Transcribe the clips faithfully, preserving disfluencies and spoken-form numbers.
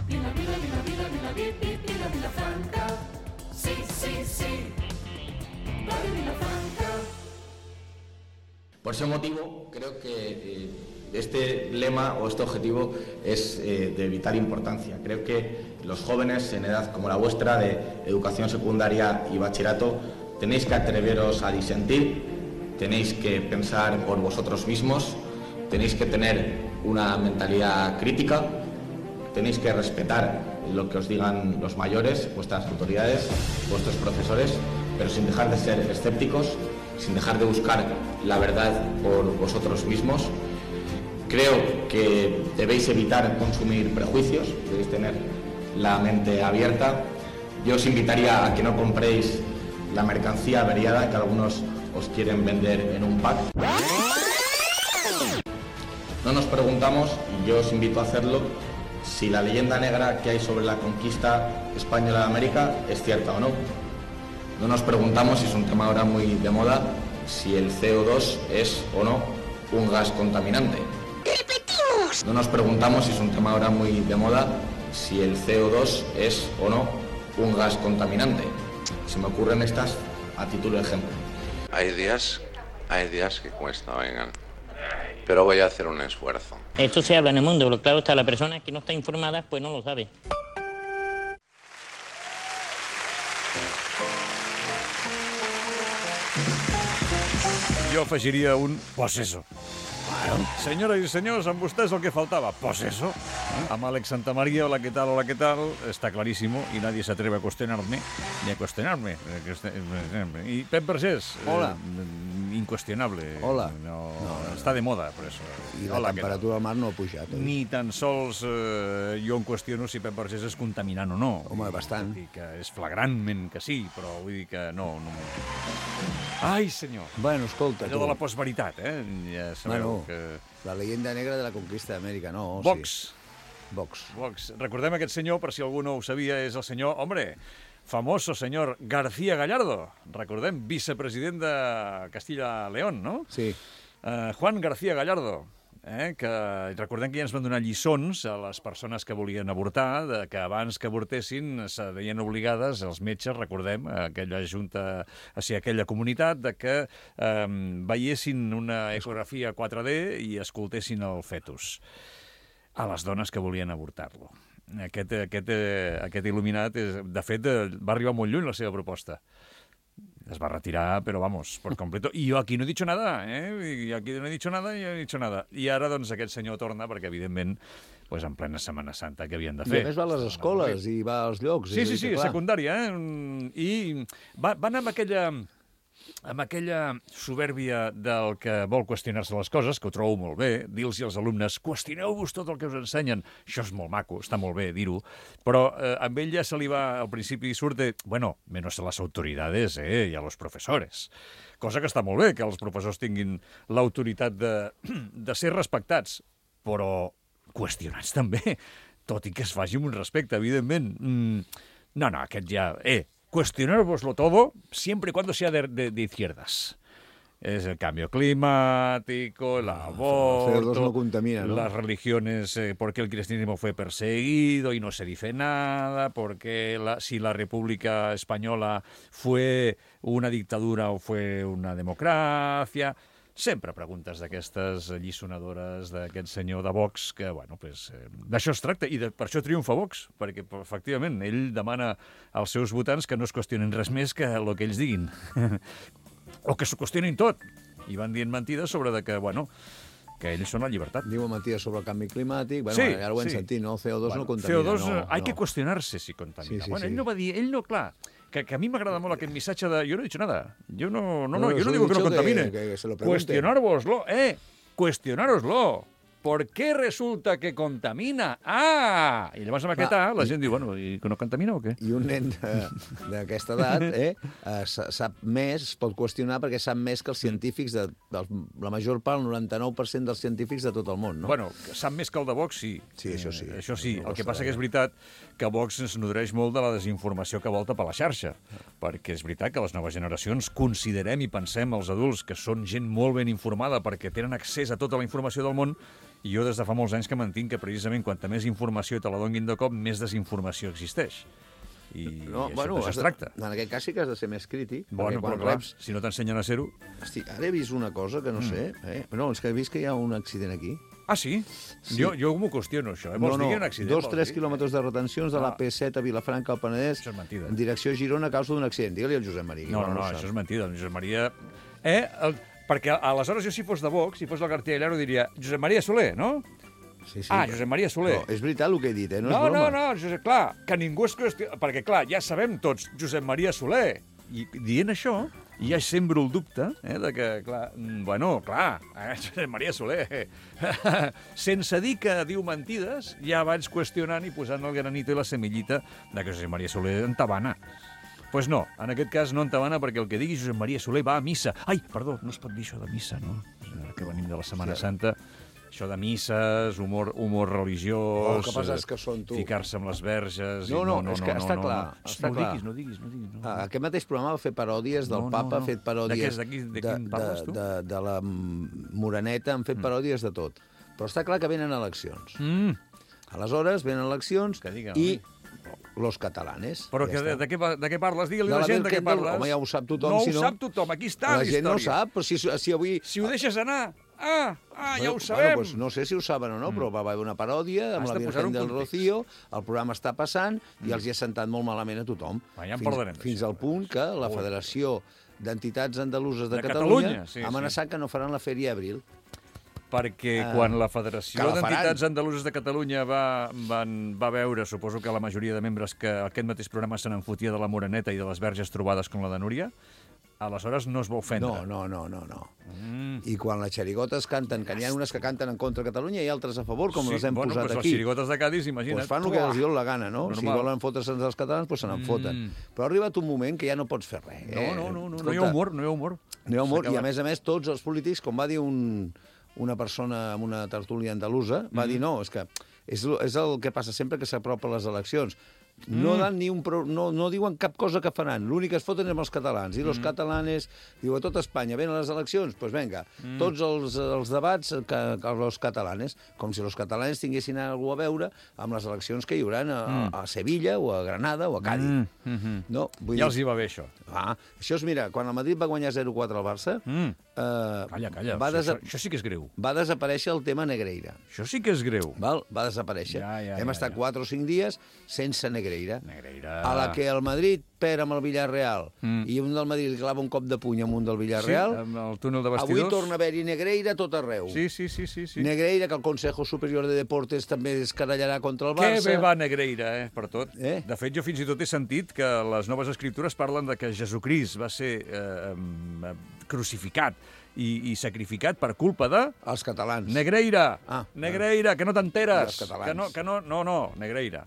Vila, Vila, Vila, Vila, Vila, Vila, Vila, Vilafranca. Sí, sí, sí. Radio Vilafranca. Por ese motivo, creo que eh, este lema o este objetivo es eh, de vital importancia. Creo que los jóvenes en edad como la vuestra, de educación secundaria y bachillerato, tenéis que atreveros a disentir, tenéis que pensar por vosotros mismos, tenéis que tener una mentalidad crítica, tenéis que respetar lo que os digan los mayores, vuestras autoridades, vuestros profesores, pero sin dejar de ser escépticos, sin dejar de buscar la verdad por vosotros mismos. Creo que debéis evitar consumir prejuicios, debéis tener la mente abierta. Yo os invitaría a que no compréis la mercancía averiada que algunos os quieren vender en un pack. No nos preguntamos, y yo os invito a hacerlo, si la leyenda negra que hay sobre la conquista española de América es cierta o no. No nos preguntamos, y es un tema ahora muy de moda, si el C O dos es o no un gas contaminante. ¡Repetimos! No nos preguntamos, y es un tema ahora muy de moda, si el C O dos es o no un gas contaminante. Se me ocurren estas a título de ejemplo. Hay días, hay días que cuesta, vengan. Pero voy a hacer un esfuerzo. Esto se habla en el mundo, pero claro está, la persona que no está informada, pues no lo sabe. Jo afegiria un pues eso. Senyores i senyors, amb vostès el que faltava, pues eso. Amb Àlex Santamaría, hola, ¿qué tal? Hola, ¿qué tal? Está clarísimo y nadie se atreve a cuestionarme, ni a cuestionarme. Y Pep Vergés, hola. Eh, incuestionable. Hola. No, no, està de moda, per això. I la hola, temperatura del mar no ha pujat. Oi? Ni tan sols eh, jo em qüestiono si Pep Vergés és contaminant o no. Home, bastant. Vull dir que és flagrantment que sí, però vull dir que no. no Ai, senyor. Bueno, escolta, allò tu. de la postveritat, eh? Ja sabeu bueno, que... La leyenda negra de la conquista d'Amèrica, no? Vox. Sí. Vox. Vox. Recordem aquest senyor, per si algú no ho sabia, és el senyor, hombre, famoso senyor García Gallardo. Recordem, vicepresident de Castilla-León, no? Sí. Uh, Juan García Gallardo. Eh, que recordem que ja ens van donar lliçons a les persones que volien avortar, de que abans que avortessin se veien obligades, els metges, recordem, aquella junta, o sigui, aquella comunitat, de que eh, veiessin una ecografia quatre D i escoltessin el fetus a les dones que volien avortar-lo. Aquest, aquest, aquest il·luminat, és, de fet, va arribar molt lluny la seva proposta. Es va retirar, però vamos, por completo. I jo aquí no he dicho nada, eh? I aquí no he dicho nada i no he dicho nada. I ara, doncs, aquest senyor torna, perquè, evidentment, pues, en plena Setmana Santa, què havien de fer? I a més va a les escoles i va als llocs. Sí, sí, sí, clar. secundària, eh? I va, va anar amb aquella... amb aquella soberbia del que vol qüestionar-se les coses, que ho trobo molt bé, dir-los als alumnes, qüestioneu-vos tot el que us ensenyen. Això és molt maco, està molt bé dir-ho, però eh, amb ell ja se li va, al principi surt de, bueno, menos a les autoridades, eh, i a los profesores. Cosa que està molt bé, que els professors tinguin l'autoritat de, de ser respectats, però qüestionats també, tot i que es faci amb un respecte, evidentment. Mm, no, no, aquest ja... Eh, cuestionárvoslo todo, siempre y cuando sea de, de, de izquierdas. Es el cambio climático, el aborto, no contamina, ¿no? Las religiones, eh, por qué el cristianismo fue perseguido y no se dice nada, porque la, si la República Española fue una dictadura o fue una democracia... Sempre preguntes d'aquestes alliçonadores d'aquest senyor de Vox, que, bueno, pues, eh, d'això es tracta, i de, per això triomfa Vox, perquè, efectivament, ell demana als seus votants que no es qüestionin res més que el que ells diguin. O que s'ho qüestionin tot. I van dient mentides sobre de que, bueno, que ells són la llibertat. Diuen mentides sobre el canvi climàtic. Bueno, sí, ara ho hem sí. sentit, no? El C O dos bueno, no contamina. C O dos, no, hay no. que cuestionarse si contamina. Sí, sí, bueno, sí. ell no va dir, ell no, clar, que, que a mi m'agrada molt aquest missatge de... Yo no he dicho nada. Yo no, no, no, no yo no digo que no contamine. Que, que se lo Cuestionárvoslo, eh, cuestionároslo. ¿Por qué resulta que contamina? Ah! I llavors amb aquest A la gent diu, bueno, i que no contamina o què? I un nen d'aquesta edat eh, sap més, es pot qüestionar perquè sap més que els científics, de, de la major part, el noranta-nou per cent dels científics de tot el món, no? Bueno, sap més que el de Vox, sí. Sí, això sí. Eh, això sí. No el que passa que és veritat que Vox es nodreix molt de la desinformació que volta per la xarxa, perquè és veritat que les noves generacions considerem i pensem els adults que són gent molt ben informada perquè tenen accés a tota la informació del món I jo des de fa molts anys que mantinc que precisament quanta més informació te la donguin de cop, més desinformació existeix. I, No, i això, bueno, d'això has es de- tracta. en aquest cas sí que has de ser més crític. Bueno, perquè quan però clar, reps... si no t'ensenyen a ser-ho... Hosti, ara he vist una cosa que no sé. Eh? No, és que he vist que hi ha un accident aquí. Ah, sí? Sí. Jo, jo m'ho qüestiono, això. Eh? Vols no, dir que hi ha no, un accident? dos, vols tres dir? quilòmetres de retencions de la Ah. P set a Vilafranca al Penedès Això és mentida. en direcció a Girona a causa d'un accident. Digue-li al Josep Maria. que No, igual no, no, ho sap. això és mentida. El Josep Maria... Eh? El... Perquè aleshores jo, si fos de Vox, si fos del Cartellero, diria Josep Maria Soler, no? Sí, sí. Ah, Josep Maria Soler. No, és veritat el que he dit, eh? No, No, és no, broma. no, Josep, clar, que ningú es qüestiona... Perquè, clar, ja sabem tots, Josep Maria Soler. I dient això, ja sembro el dubte, eh, de que, clar, mm, bueno, clar, eh, Josep Maria Soler, sense dir que diu mentides, ja vaig qüestionant i posant el granito i la semillita de que Josep Maria Soler entabana. Doncs pues no, en aquest cas no entabana perquè el que digui Josep Maria Soler va a missa. Ai, perdó, no es pot dir això de missa, no? Ara que venim de la Setmana Sí. Santa... Això de misses, humor, humor religiós... Oh, el que passa és que són tu. Ficar-se amb les verges... No, i no, és que està no, clar, No, està no, clar. ho diguis, no ho diguis, no ho diguis. No. Ah, aquest mateix programa va fer paròdies del No, no, Papa, no. ha fet paròdies De què- de qui- de quin parles, tu? de, de, de la mm, Moreneta, han fet paròdies de tot. Però està clar que venen eleccions. Mm, Aleshores, venen eleccions Que diga, i los catalanes. però Ja que, de, està. de, què, pa- de què parles? Digue-li De a la la gent de què Birkendel, parles. home, ja ho sap tothom, No si no- ho sap tothom, aquí està La la gent no ho història. sap, però si, si avui... Si ho deixes anar... Ah, ah, ja ho Bueno, sabem. pues no sé si ho saben o no, però va haver una paròdia amb Has la de posar Virgen un del context. Rocío, el programa està passant i els hi ha sentat molt malament a tothom. Va, ja en fins, parlarem, fins d'això. al punt que la Ui. Federació d'Entitats Andaluses de, De Catalunya, Catalunya, sí, ha amenaçat que no faran la Fèria Abril. Perquè Ah, quan la que Federació la faran. d'Entitats Andaluses de Catalunya va, van, va veure, suposo que la majoria de membres, que aquest mateix programa se n'enfotia de la Moreneta i de les verges trobades com la de Núria, aleshores no es va ofendre. No, no, no, no, no. Mm. I quan les xerigotes canten, que n'hi ha unes que canten en contra de Catalunya i altres a favor, com les hem bueno, posat pues aquí. Les xirigotes de Cádiz, imagina't. Pues fan el que els diu la gana, no? Normal. Si volen fotre's els catalans, pues se n'en foten. Mm. Però ha arribat un moment que ja no pots fer res. No, eh? no, no, no, no Escolta, hi ha humor, no hi ha humor. No hi ha humor, S'ha i a acabat. més a més tots els polítics, com va dir un, una persona amb una tertúlia andalusa, va Mm. dir no, és que és, el- és el que passa sempre que s'apropa a les eleccions. No, Mm. dan ni un pro, no, no diuen cap cosa que faran. L'únic que es foten és amb els catalans. I Mm. els catalanes, diu, a tot Espanya venen les eleccions, doncs pues vinga, Mm. tots els, els debats que, que els catalanes, com si els catalanes tinguessin alguna a veure amb les eleccions que hi haurà a, a, a Sevilla o a Granada o a Cádiz. Mm, mm, mm. No, vull Ja dir, els hi va bé, això. ah, això és, mira, quan el Madrid va guanyar zero quatre al Barça, Mm. eh, Calla, calla. va, Això, desa això sí que és greu. va desaparèixer el tema Negreira. Això sí que és greu. Val? Va desaparèixer. Ja, ja, Hem ja, estat ja. quatre o cinc dies sense Negreira. Negreira. A la que el Madrid perd amb el Villarreal Mm. i un del Madrid li clava un cop de puny amb un del Villarreal, Sí, amb el túnel de avui vestidors. torna a haver-hi Negreira a tot arreu. Sí, sí, sí, sí. sí. Negreira, que el Consejo Superior de Deportes també es carallarà contra el Que Barça. bé va Negreira, eh, per tot. Eh? De fet, jo fins i tot he sentit que les noves escriptures parlen de que Jesucrist va ser eh, eh, crucificat i, i sacrificat per culpa de... Els catalans. Negreira! Ah, Negreira, que no I t'enteres! els catalans. Que no, que no, no, no, Negreira.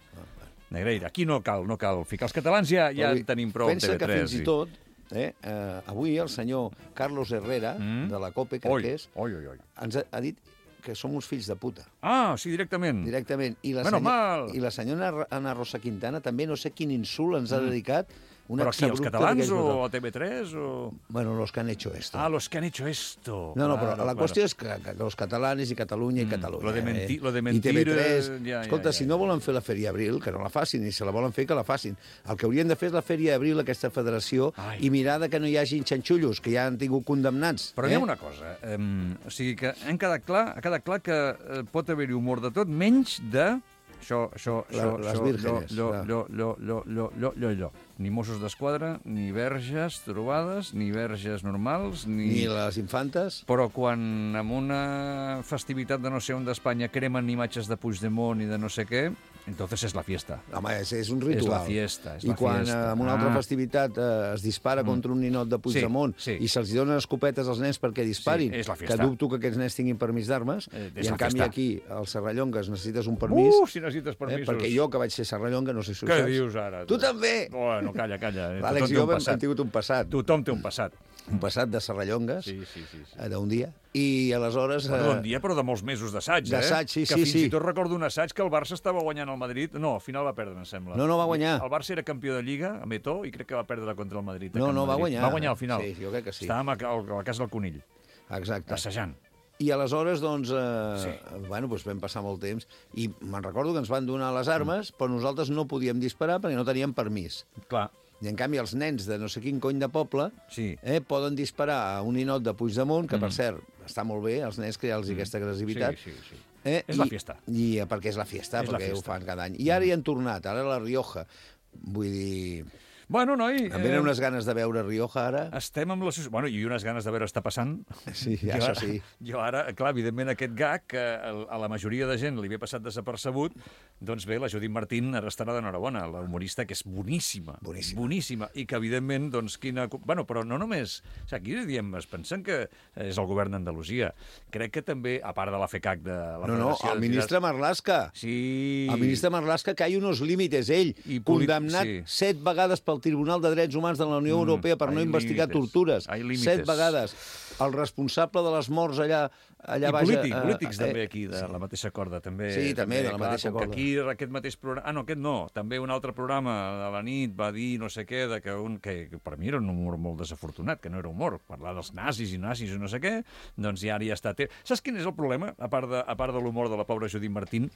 Negreira. Aquí no cal, no cal ficar els catalans, ja, ja Però en tenim prou al pensa T V que tres. fins i tot, eh, eh, avui el senyor Carlos Herrera, Mm. de la COPE, crec Oi, que és, oi, oi, oi. ens ha, ha dit que som uns fills de puta. Ah, sí, directament. Directament. I la, Menos senyor- mal. I la senyora Ana Rosa Quintana també no sé quin insult ens ha dedicat. Un Però aquí, els exabrupte catalans d'aquells o brutals. a T V tres o... Bueno, los que han hecho esto. Ah, los que han hecho esto. No, no, però Claro, la claro. qüestió és que, que los catalanes i Catalunya i Catalunya. lo de menti- eh? lo de I mentir, T V tres. eh, ja, ja, Escolta, ja, si ja. no volen fer la Fèria Abril, que no la facin, i si la volen fer, que la facin. El que haurien de fer és la Fèria Abril, aquesta federació, Ai. i mirar de que no hi hagin xanxullos, que ja han tingut condemnats. Però eh? digue'm una cosa, um, o sigui que hem quedat clar, ha quedat clar que eh, pot haver-hi humor de tot, menys de... Això, això, La- això, les això, vírgenes, Llo, clar. llo, llo, llo, llo, llo, llo, llo. Ni Mossos d'Esquadra, ni verges trobades, ni verges normals, ni... Ni les infantes. Però quan en una festivitat de no sé on d'Espanya cremen imatges de Puigdemont i de no sé què, entonces és la fiesta. Home, és, és un És ritual. la fiesta, és I la quan fiesta. eh, en una altra Ah. festivitat eh, es dispara contra un ninot de Puigdemont Sí, sí. i se'ls donen escopetes als nens perquè disparin, Sí, és la que fiesta. dubto que aquests nens tinguin permís d'armes, Eh, és i en la canvi fiesta. aquí, als Serrallongues, necessites un permís, Uh, si necessites eh, permisos. perquè jo, que vaig ser serrallonga, no sé si ho Què saps. dius ara? Tu també! Bueno, calla, calla. eh. L'Àlex Tothom i té jo un hem, passat. hem tingut un passat, Tothom té un passat. un passat de serrallongues, Sí, sí, sí. sí. eh, d'un dia, i aleshores... Bueno, un eh, dia, però de molts mesos d'assaig, eh? D'assaig, sí, que sí, fins sí. i tot recordo un assaig que el Barça estava guanyant al Madrid. No, al final va perdre, em sembla. No, no, va guanyar. El Barça era campió de Lliga, amb Eto'o, i crec que va perdre contra el Madrid. a No, Can no, va Madrid. guanyar. Va guanyar al final. Sí, jo crec que sí. Estàvem a, a, a la casa del Conill, Exacte. assajant. I aleshores, doncs, eh, Sí. bueno, doncs vam passar molt temps i me'n recordo que ens van donar les armes, però nosaltres no podíem disparar perquè no teníem permís. Clar. I, en canvi, els nens de no sé quin cony de poble Sí. eh, poden disparar a un ninot de Puigdemont, que, per cert, està molt bé, els nens crear-los aquesta agressivitat. Sí, sí, sí. Eh, És i, la fiesta. I, eh, perquè és la fiesta, És la perquè fiesta. ho fan cada any. I ara hi han tornat, ara a la Rioja. Vull dir... Bueno, noi... Em venen unes ganes de veure Rioja, ara. Estem amb la... Bueno, i unes ganes de veure està passant. Sí, Jo això ara- sí. Jo ara, clar, evidentment, aquest gag, que a la majoria de gent li havia passat desapercebut, doncs bé, la Judit Martín ara estarà d'enhorabona, la humorista que és boníssima. Boníssima. Boníssima. I que, evidentment, doncs, quina... Bueno, però no només... O sigui, aquí diem, es pensen que és el govern d'Andalusia. Crec que també, a part de la FECAC de la No, no, Federació el de ministre Marlaska. Sí. El ministre Marlaska, que hi ha uns límites, ell, I polit- condemnat sí. set vegades pel Tribunal de Drets Humans de la Unió Mm, Europea per no hay investigar límites, tortures. hay límites. Set vegades. El responsable de les morts allà, allà I baix... polític, eh, polítics eh, també aquí, de sí. la mateixa corda. També, Sí, també, de la clar, mateixa com que corda. aquí aquest mateix programa... Ah, no, aquest no. També un altre programa de la nit va dir no sé què, de que, un, que, que per mi era un humor molt desafortunat, que no era humor, parlar dels nazis i nazis i no sé què, doncs ja ara ja està... Saps quin és el problema, a part de, a part de l'humor de la pobra Judit Martín?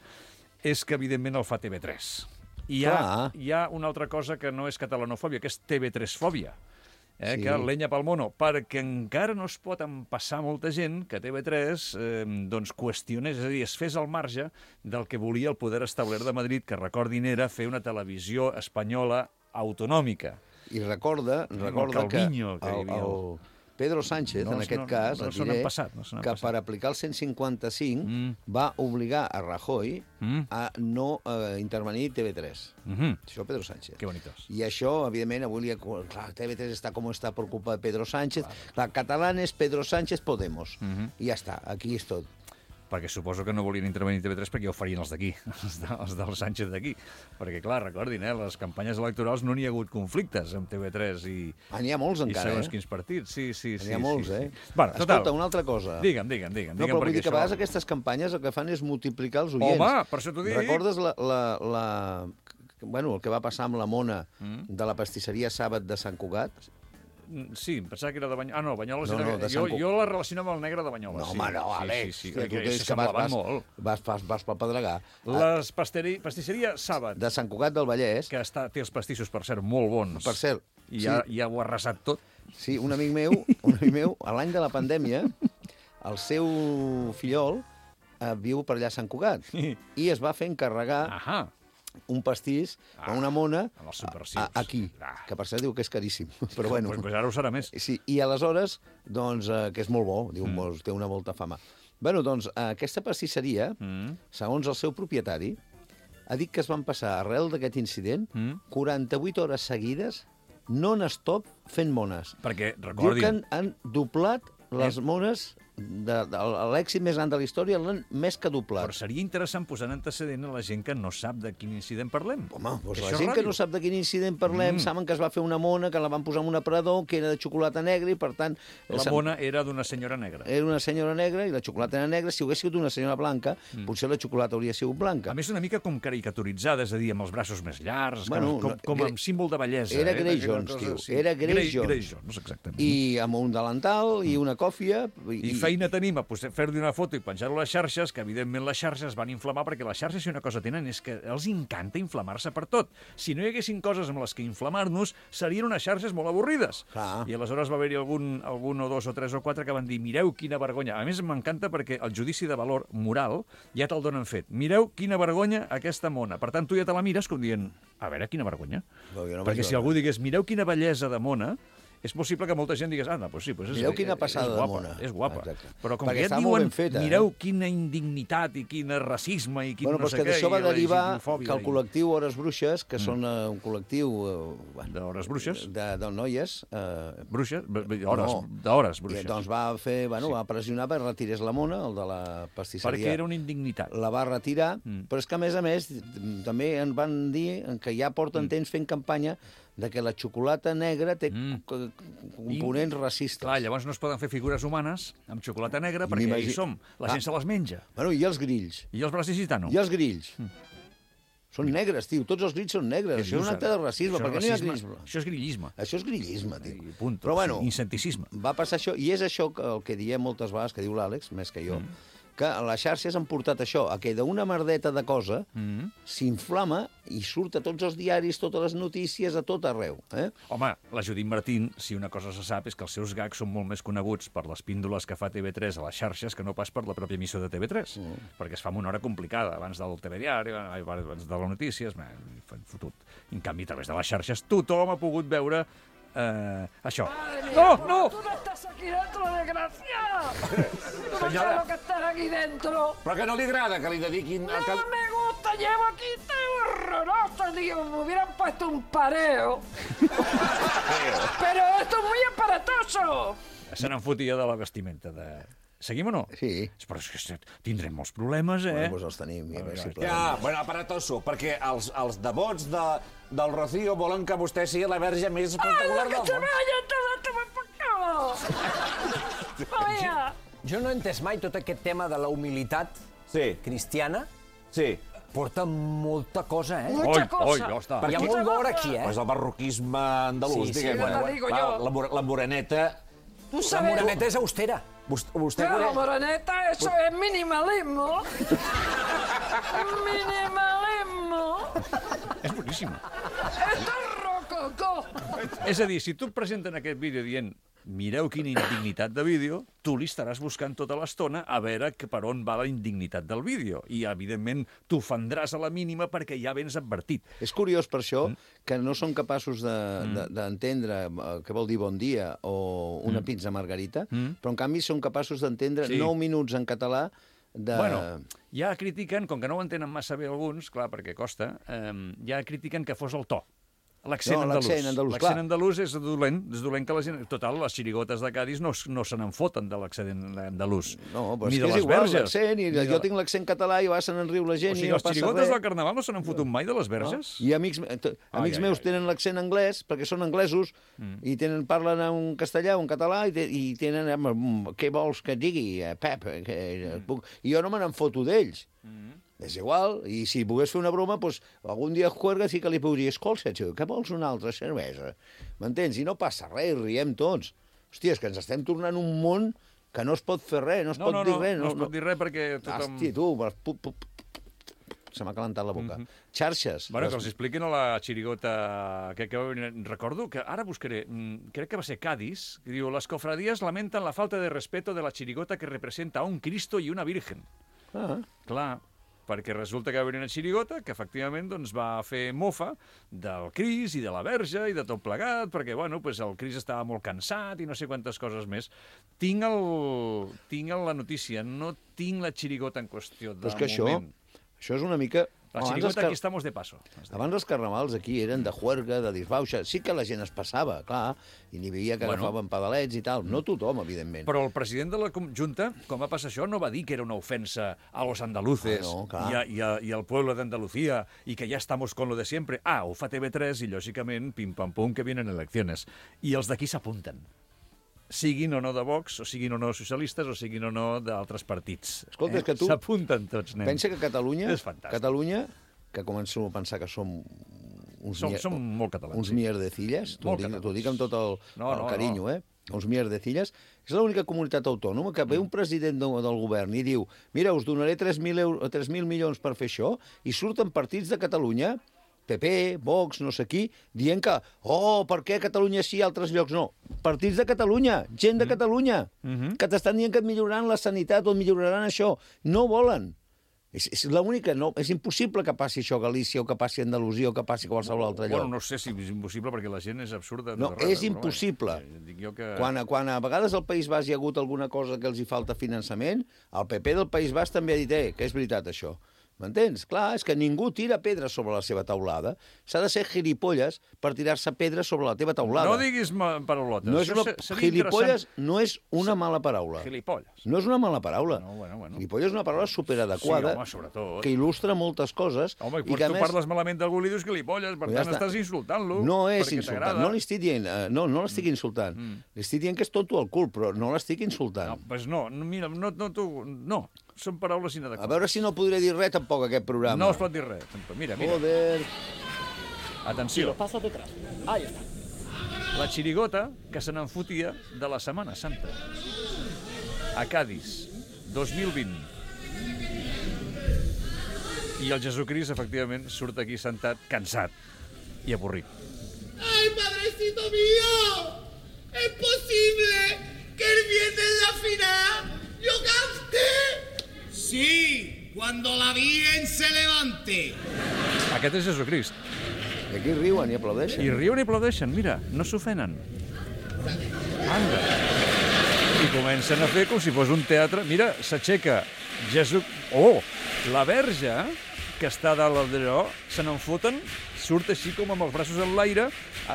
És que, evidentment, el fa T V tres. I hi ha, Clar. hi ha una altra cosa que no és catalanofòbia, que és T V tres-fòbia. Eh, Sí. que lenya pel mono, perquè encara no es pot empassar molta gent que T V tres eh, doncs qüestionés, és a dir, es fes al marge del que volia el poder establert de Madrid, que recordin era fer una televisió espanyola autonòmica. I recorda, recorda el que Calviño que hi el, havia. el Pedro Sánchez, No, en aquest no, cas, no et se diré, n'han passat, no se n'han que passat. per aplicar el cent cinquanta-cinc Mm. va obligar a Rajoy Mm. a no eh, intervenir T V tres. Mhm. Això Pedro Sánchez. Que bonitos. I això, evidentment, avui li ha... Clar, T V tres està com està per culpa de Pedro Sánchez. Clar, catalanes, Pedro Sánchez, Podemos. Mhm. I ja està, aquí és tot. Perquè suposo que no volien intervenir T V tres perquè ja ho farien els d'aquí, els, de, els del Sánchez d'aquí. Perquè, clar, recordin, eh, les campanyes electorals no n'hi ha hagut conflictes amb T V tres i, Ah, n'hi ha molts i encara, segons eh? quins partits. Sí, sí, sí. N'hi ha molts, sí, eh? sí. Bueno, total, Escolta, una altra cosa. digue'm, digue'm, digue'm. No, digue'm però vull dir perquè que a això- vegades aquestes campanyes el que fan és multiplicar els oients. Home, per això t'ho dic. Recordes la, la, la... Bueno, el que va passar amb la Mona Mm. de la pastisseria Sàbat de Sant Cugat? Sí, em pensava que era de Banyoles. Ah, no, Banyoles No, era... no, de jo, Sant Cu- jo la relaciono amb el negre de Banyoles. No, sí. home, no, sí, Àlex. Sí, sí, Hòstia, tu que tens que vas, s'assemblaven vas, molt. vas, vas, vas pel Pedregà. Les pasteri... pastisseria Sàbat, De Sant Cugat del Vallès, que està, té els pastissos, per cert, molt bons. per cert, I sí, ja, ja ho ha arrasat tot. sí, un amic meu, un amic meu, a l'any de la pandèmia, el seu fillol eh, viu per allà a Sant Cugat i es va fer encarregar Ahà. un pastís Ah, a una mona amb els subversius. a, a, aquí, Ah. que per cert diu que és caríssim, però bueno. Pues, pues ara ho serà més. Sí, i aleshores, doncs, eh, que és molt bo, diu, Mm. molt, té una molta fama. Bueno, doncs, eh, aquesta pastisseria, Mm. segons el seu propietari, ha dit que es van passar, arrel d'aquest incident, Mm. quaranta-vuit hores seguides, non-stop, fent mones. Perquè, Diu que recordin, han, han doblat les Eh? mones, de, de, l'èxit més gran de la història l'han més que doblat. però seria interessant posar en antecedent a la gent que no sap de quin incident parlem. Home, doncs Que la això és gent que ràdio. no sap de quin incident parlem, Mm. mm. saben que es va fer una mona, que la van posar en un aparador, que era de xocolata negra i, per tant... La sap- mona era d'una senyora negra. Era una senyora negra i la xocolata era negra. Si hagués sigut una senyora blanca, mm. potser la xocolata hauria sigut blanca. A més, una mica com caricaturitzada, és a dir, amb els braços més llargs, Bueno, com, no, com Gre- amb símbol de bellesa. Era eh? Grey Aquella Jones, cosa, tio. Era Grey Jones. Grey Jones, exactament. I amb un delantal i una còfia... I feina tenim a posar- fer-li una foto i penjar-ho a les xarxes, que evidentment les xarxes es van inflamar, perquè les xarxes, si una cosa tenen, és que els encanta inflamar-se per tot. Si no hi haguessin coses amb les que inflamar-nos, serien unes xarxes molt avorrides. Clar. I aleshores va haver-hi algun, algun o dos o tres o quatre que van dir, mireu quina vergonya. A més, m'encanta perquè el judici de valor moral ja te'l donen fet. Mireu quina vergonya aquesta mona. Per tant, tu ja te la mires com dient, a veure, quina vergonya. No, jo no perquè vaig si veure. algú digués, mireu quina bellesa de mona, és possible que molta gent digués, ah, no, doncs sí, doncs és, Mireu quina és passada de guapa, mona. és guapa. Exacte. Però com Perquè que ja està et molt diuen, ben feta, eh? mireu quina indignitat i quin racisme i quin Bueno, no però sé és que què, d'això va i derivar LGTB-fòbia que el i- col·lectiu Hores Bruixes, que són eh, un col·lectiu... Eh, bueno, D'hores bruixes? de, de noies... Eh, Bruixes? B- b- Hores, No. d'hores i, bruixes. doncs va fer, bueno, va pressionar perquè retirés la mona, el de la pastisseria. Perquè era una indignitat. La va retirar, Mm. però és que, a més a més, també en van dir que ja Mm. porten temps fent campanya de que la xocolata negra té Mm. co- components racistes. Clar, llavors no es poden fer figures humanes amb xocolata negra perquè M'imagi- hi som. La Ah. gent se les menja. Bueno, i els grills? I els braços gitanos? I els grills? Mm. Són negres, tio, tots els grits són negres. Això és un acte de racisme, perquè no hi ha grillisme. Això és grillisme. Això és grillisme, tio. I punt. Però bueno, incenticisme. Va passar això, i és això que, el que diem moltes vegades, que diu l'Àlex, més que jo, mm. que les xarxes han portat això, a que d'una merdeta de cosa mm. s'inflama i surt a tots els diaris, totes les notícies, a tot arreu. Eh? Home, la Judit Martín, si una cosa se sap, és que els seus gags són molt més coneguts per les píndoles que fa T V tres a les xarxes que no pas per la pròpia emissió de T V tres, mm. perquè es fa en una hora complicada, abans del telediari, abans de les notícies, man, fotut. En canvi, a través de les xarxes, tothom ha pogut veure eh, això. No, no! ¡Tú no estás aquí dentro, desgraciado! ¡Tú no sabes lo que estás aquí dentro! Però que no li agrada que li dediquin... No que... me gusta, llevo aquí, está horroroso, tío. Me hubieran puesto un pareo. Pero esto es muy aparatoso. Se n'enfotia de la vestimenta de... Seguim o no? Sí. Però és que tindrem molts problemes, eh? Bueno, doncs els tenim. Ja, veure, si ja, bueno, aparatoso, perquè els, els devots de, del Rocío volen que vostè sigui la verge més espectacular del món. ¡Ay, que se vaya todo, toma por culo! Vaya! Jo no he entès mai tot aquest tema de la humilitat sí. cristiana. Sí. Porta molta cosa, eh? Mucha oi, cosa. Oi, ja està. Hi ha molt d'or aquí, eh? Pues el barroquisme andalús, Sí, sí, diguem. ja te digo Va, yo. la, la moreneta... Tú La sabes... moreneta és austera. Vostè, vostè Claro, coneix? moreneta, eso es minimalismo. Minimalismo. És boníssim. Esto es rococó. És a dir, si tu et presenten aquest vídeo dient mireu quina indignitat de vídeo, tu li estaràs buscant tota l'estona a veure que per on va la indignitat del vídeo. I, evidentment, t'ofendràs a la mínima perquè ja vens advertit. És curiós per això mm. que no són capaços d'entendre de, de, què vol dir bon dia o una mm. pizza margarita, mm. però en canvi són capaços d'entendre sí. nou minuts en català de... Bueno, ja critiquen, com que no ho entenen massa bé alguns, clar, perquè costa, eh, ja critiquen que fos el to. L'accent no, andalús. L'accent andalús, L'accent andalús és dolent, és dolent que la gent... Total, les xirigotes de Cádiz no, no se n'enfoten de l'accent andalús. No, però ni és de que és les igual verges. l'accent, i jo de... tinc l'accent català i va, se n'enriu la gent o sigui, i no les passa xirigotes res. del Carnaval no se n'han fotut mai de les verges? No? I amics, amics ai, meus ai, tenen l'accent anglès perquè són anglesos mm. i tenen, parlen en castellà o en català i, te, i tenen... Què vols que digui, Pep? Que, mm. puc... I jo no me n'enfoto d'ells. Mm. És igual, i si pogués fer una broma, doncs, algun dia juerga sí que li podria escolta, que vols una altra cervesa? M'entens? I no passa res, riem tots. Hòstia, és que ens estem tornant un món que no es pot fer res, no es no, pot no, dir no, res. No, no es pot dir res perquè tothom... Hòstia, tu, pu, pu, pu, se m'ha calentat la boca. Mm -hmm. Xarxes. Bueno, les... que els expliquin a la xirigota... Que, que recordo que ara buscaré, crec que va ser Cádiz, que diu, les cofradías lamentan la falta de respeto de la chirigota que representa a un Cristo y una Virgen. Ah. Clar, perquè resulta que va haver una xirigota que efectivament doncs, va fer mofa del Cris i de la Verge i de tot plegat, perquè bueno, pues, el Cris estava molt cansat i no sé quantes coses més. Tinc, el... tinc la notícia, no tinc la xirigota en qüestió de Però és que moment. Això, això és una mica... La Abans xirigota car... aquí estamos de paso. Abans els carnavals aquí eren de juerga, de disbauxa. Sí que la gent es passava, clar, i n'hi havia que bueno. agafaven pedalets i tal. No tothom, evidentment. Però el president de la Junta, quan va passar això, no va dir que era una ofensa a los andaluces ah, no, i, a, i, a, i al pueblo de Andalucía i que ja estamos con lo de siempre. Ah, ho fa T V tres i, lògicament, pim-pam-pum, que vienen eleccions. I els d'aquí s'apunten. Siguin o no de Vox, o siguin o no socialistes, o siguin o no d'altres partits. Escolta, eh? és que tu... S'apunten tots, nen. Pensa que Catalunya... És fantàstic. Catalunya, que començo a pensar que som... Uns som, mier... som molt catalans. Uns sí. mierdecilles, t'ho dic, dic amb tot el, no, el no, carinyo, no. eh? Uns mierdecilles. És l'única comunitat autònoma que ve un president de, del govern i diu mira, us donaré tres mil milions per fer això, i surten partits de Catalunya, P P, Vox, no sé qui, dient que, oh, per què a Catalunya sí i a altres llocs no? Partits de Catalunya, gent de Catalunya, Mm-hmm. que t'estan dient que et milloraran la sanitat o et milloraran això. No volen. És, és l'única, no, és impossible que passi això a Galícia o que passi a Andalusia o que passi a qualsevol altre lloc. Bueno, no sé si és impossible perquè la gent és absurda. No, és impossible. Dic jo que... Quan, quan a vegades al País Basc hi ha hagut alguna cosa que els hi falta finançament, el P P del País Basc també ha dit eh, que és veritat això. M'entens? Clar, és que ningú tira pedra sobre la seva taulada. S'ha de ser gilipolles per tirar-se pedra sobre la teva taulada. No diguis paraulotes. No és una... Gilipolles no és una mala paraula. Gilipolles. No és una mala paraula. No, bueno, bueno. Gilipolles és una paraula superadequada, sí, home, sobretot. que il·lustra moltes coses. Home, i, i que, tu més... parles malament d'algú i li dius gilipolles, per ja tant estàs insultant-lo. No és insultant, no l'estic dient, uh, no, no l'estic insultant. Mm. L'estic dient que és tonto al cul, però no l'estic insultant. No, pues no, no, mira, no, no, tu, no. són paraules A inadequades. veure si no podré dir res tampoc, aquest programa. No es pot dir res. Mira, mira. Joder. Atenció. Pasos detrás. Ahí está. La xirigota que se n'enfotia de la Setmana Santa. A Cádiz, dos mil vint. I el Jesucrist, efectivament, surt aquí sentat, cansat i avorrit. ¡Ay, padrecito mío! ¿Es posible que el viernes en la final yo cante? Sí, cuando la Virgen se levante. Aquest és Jesucrist. I aquí riuen i aplaudeixen. I riuen i aplaudeixen, mira, no s'ofenen. Anda. I comencen a fer com si fos un teatre. Mira, s'aixeca Jesús... Oh, la verge, que està dalt d'allò, se n'enfoten, surt així com amb els braços en l'aire,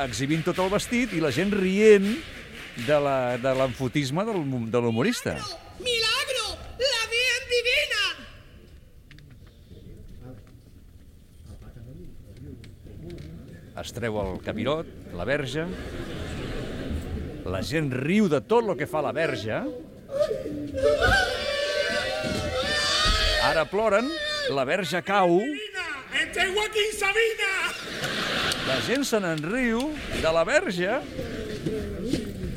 exhibint tot el vestit i la gent rient de la- de l'enfotisme del, de l'humorista. ¡Milagro! ¡La Virgen divina! Es treu el capirot, la verge, la gent riu de tot el que fa la verge, ara ploren, la verge cau, ¡Este es Joaquín Sabina! la gent se n'enriu de la verge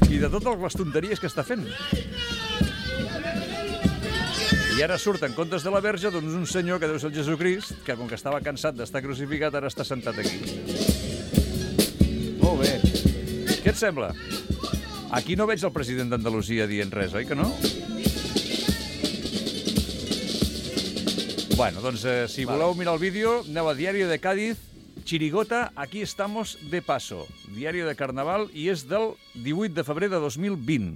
i de totes les tonteries que està fent. I ara surt en comptes de la verge doncs un senyor que deu ser el Jesucrist, que com que estava cansat d'estar crucificat ara està sentat aquí. Molt bé. Què et sembla? Aquí no veig el president d'Andalusia dient res, oi que no? Bueno, doncs eh, si voleu mirar el vídeo, aneu a Diario de Cádiz, Chirigota, aquí estamos de paso. Diario de Carnaval, i és del divuit de febrer de dos mil vint.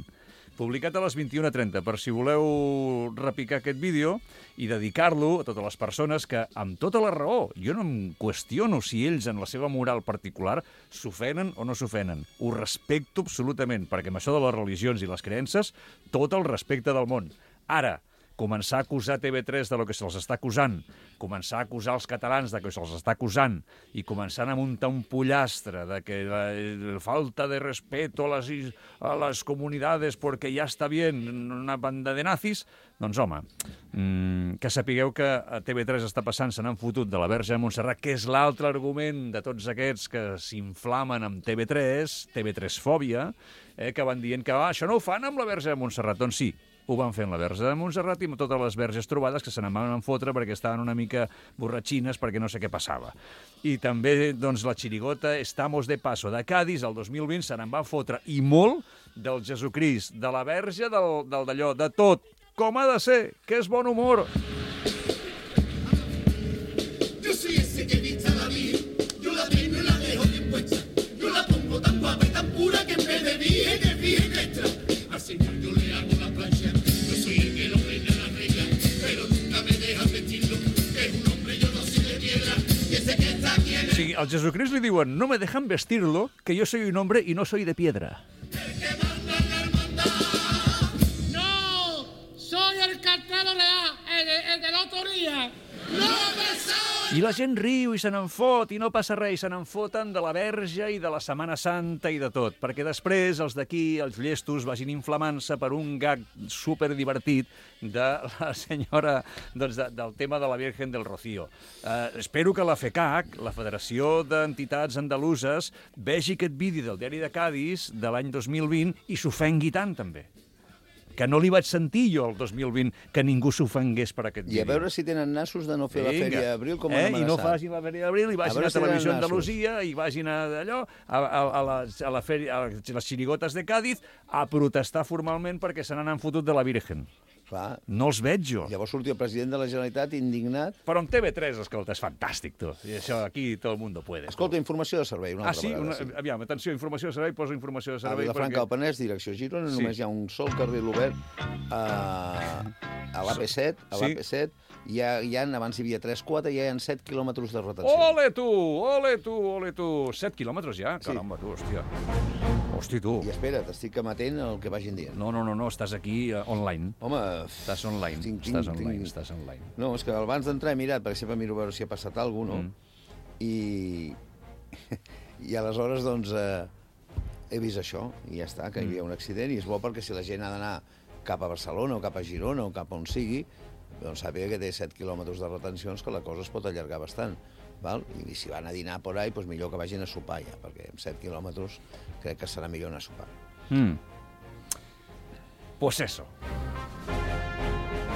Publicat a les vint-i-una trenta, per si voleu repicar aquest vídeo i dedicar-lo a totes les persones que, amb tota la raó, jo no em qüestiono si ells, en la seva moral particular, s'ofenen o no s'ofenen. Ho respecto absolutament, perquè amb això de les religions i les creences, tot el respecte del món. Ara, començar a acusar T V tres de lo que se'ls està acusant, començar a acusar els catalans de que se'ls està acusant i començar a muntar un pollastre de que la, la falta de respeto a les, a les comunidades perquè ja està bien una banda de nazis, doncs home, mmm, que sapigueu que a T V tres està passant, se n'han fotut de la Verge de Montserrat, que és l'altre argument de tots aquests que s'inflamen amb T V tres, T V tres fòbia, eh, que van dient que ah, això no ho fan amb la Verge de Montserrat. Doncs sí, ho van fer amb la Verge de Montserrat i amb totes les verges trobades que se n'en van fotre perquè estaven una mica borratxines perquè no sé què passava. I també, doncs, la xirigota Estamos de Paso de Cádiz, el dos mil vint, se n'en va fotre i molt del Jesucrist, de la Verge, del, del d'allò, de tot. Com ha de ser, que és bon humor. Yo soy ese que vista la Virgen, yo la tengo y la dejo bien puesta. Yo la pongo tan guapa y tan pura que en vez de virgen es virgen extra. Al Señor yo le hago la plancha, yo soy el que lo reina la reina, pero nunca me dejan vestirlo, que es un hombre, yo no soy de piedra, y ese que está aquí en O sigui, al Jesucrist li diuen no me dejan vestirlo, que yo soy un hombre y no soy de piedra. No, soy el cartero real, el, el de la autoría. ¡No pesado! I la gent riu i se n'en fot i no passa res, i se n'en foten de la Verge i de la Setmana Santa i de tot, perquè després els d'aquí, els llestos, vagin inflamant-se per un gag superdivertit de la senyora, doncs, de, del tema de la Virgen del Rocío. Eh, espero que la FECAC, la Federació d'Entitats Andaluses, vegi aquest vídeo del Diari de Cádiz de l'any dos mil vint i s'ofengui tant, també. Que no li vaig sentir jo el dos mil vint que ningú s'ofengués per aquest vídeo. I a veure si tenen nassos de no fer la Vinga. Fèria d'Abril com eh? han I no amenaçat. facin la Fèria d'Abril, i vagin a, veure a si tenen Televisió nassos. Andalusia, i vagin a d'allò, a, a, a, les, a, la fèria, a les xirigotes de Cádiz, a protestar formalment perquè se n'han fotut de la Virgen. Clar. No els veig jo. Llavors sortia el president de la Generalitat indignat. Però amb T V tres, escolta, és fantàstic, tu. I això aquí tot el mundo puede. Escolta, informació de servei una Ah, altra sí? vegada. Una, sí. aviam, atenció, informació de servei, poso informació de A servei. Vilafranca del Penès, direcció Girona, Sí. només hi ha un sol carril obert a, a l'A P set, a l'A P set, hi ha, hi ha, abans hi havia tres quatre, ja hi ha set quilòmetres de retenció. Ole tu, ole tu, ole tu. set quilòmetres ja? Caramba, tu, hòstia. Hosti, tu. I espera, t'estic amatent al que vagin dient. No, no, no, no, estàs aquí uh, online. Home... Estàs online, tinc, tinc, estàs online, tinc... estàs online. No, és que abans d'entrar he mirat, perquè sempre miro a veure si ha passat alguna cosa, no? Mm. I... I aleshores, doncs, eh, he vist això, i ja està, que hi havia un accident, i és bo perquè si la gent ha d'anar cap a Barcelona o cap a Girona o cap a on sigui, doncs sàpiga que té set quilòmetres de retencions, que la cosa es pot allargar bastant. Val? I si van a dinar por ahí, doncs millor que vagin a sopar ja, perquè amb set quilòmetres crec que serà millor anar a sopar. Mm. Pues eso.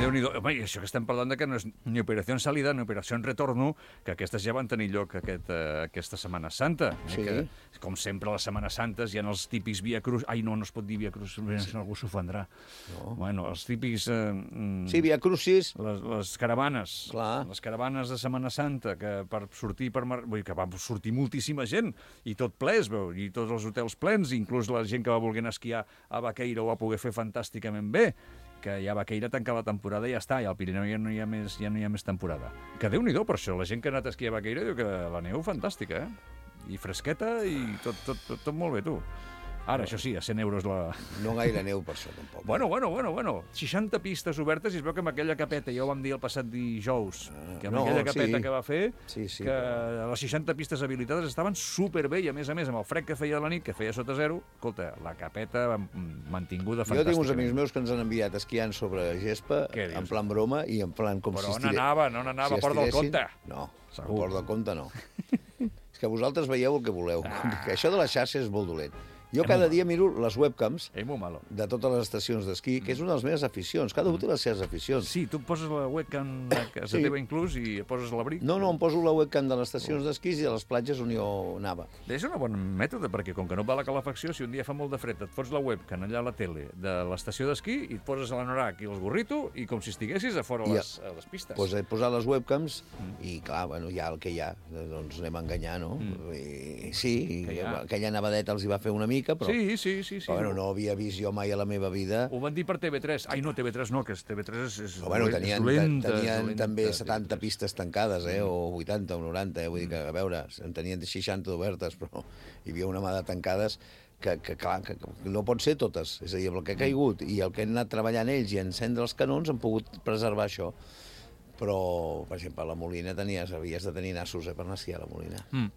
Déu-n'hi-do. Home, i això que estem parlant de que no és ni operació salida ni operació retorno, que aquestes ja van tenir lloc aquest, uh, aquesta Setmana Santa. Eh? Sí. Que, com sempre, a les Setmanes Santes hi ha els típics Via Cruz... Ai, no, no es pot dir Via Cruz, sí. Algú s'ofendrà. No. Bueno, els típics... Uh, sí, Via Crucis. Les, les caravanes. Clar. Les caravanes de Setmana Santa, que per sortir... Per mar... Vull dir, que va sortir moltíssima gent, i tot ple, es veu, i tots els hotels plens, inclús la gent que va voler esquiar a Baqueira ho va poder fer fantàsticament bé, que ja Baqueira tancar la temporada i ja està, i al Pirineu ja no hi ha més, ja no hi ha més temporada. Que Déu-n'hi-do per això, la gent que ha anat a esquiar a Baqueira diu que la neu fantàstica, eh? I fresqueta i tot, tot, tot, tot molt bé, tu. Ara, això sí, a cent euros la... No gaire neu per això, tampoc. Bueno, bueno, bueno, bueno. seixanta pistes obertes i es veu que amb aquella capeta, ja ho vam dir el passat dijous, que amb no, aquella capeta sí. que va fer, sí, sí, que però... les seixanta pistes habilitades estaven superbé i, a més a més, amb el fred que feia de la nit, que feia sota zero, escolta, la capeta mantinguda fantàstica. Jo tinc uns amics meus que ens han enviat esquiant sobre gespa, en plan broma i en plan com però si estigués... Però on anava, no n'anava si a Port del Comte? No, a Port del Comte no. És que vosaltres veieu el que voleu. Ah. Que això de la xarxa és molt dolent. Jo cada dia miro les webcams de totes les estacions d'esquí, que és una de les meves aficions. Cada un té les seves aficions. Sí, tu poses la webcam a casa teva inclús i poses l'abric. No, no, em poso la webcam de les estacions d'esquí i de les platges on jo anava. És un bon mètode, perquè com que no va la calefacció, si un dia fa molt de fred, et fots la webcam allà a la tele de l'estació d'esquí i et poses l'anorac i el gorrito i com si estiguessis a fora a les, a les pistes. Doncs he posat les webcams i, clar, bueno, hi ha el que hi ha. Doncs anem a enganyar, no? Mm. I, sí, i aquella nevadeta els hi va fer una mica, però... Sí, sí, sí. sí. Però, bueno, no havia vist jo mai a la meva vida. Ho van dir per T V tres. Ai, no, T V tres no, que T V tres és, és, però, bueno, tenien, és dolenta. Tenien dolenta, també setanta pistes tancades, eh, o vuitanta o noranta, eh, vull dir que, a veure, en tenien seixanta obertes, però hi havia una mà de tancades que, que, clar, que no pot ser totes. És a dir, el que ha caigut i el que han anat treballant ells i encendre els canons han pogut preservar això. Però, per exemple, a la Molina tenies, havies de tenir nassos eh, per anar a esquiar a la Molina. Mm.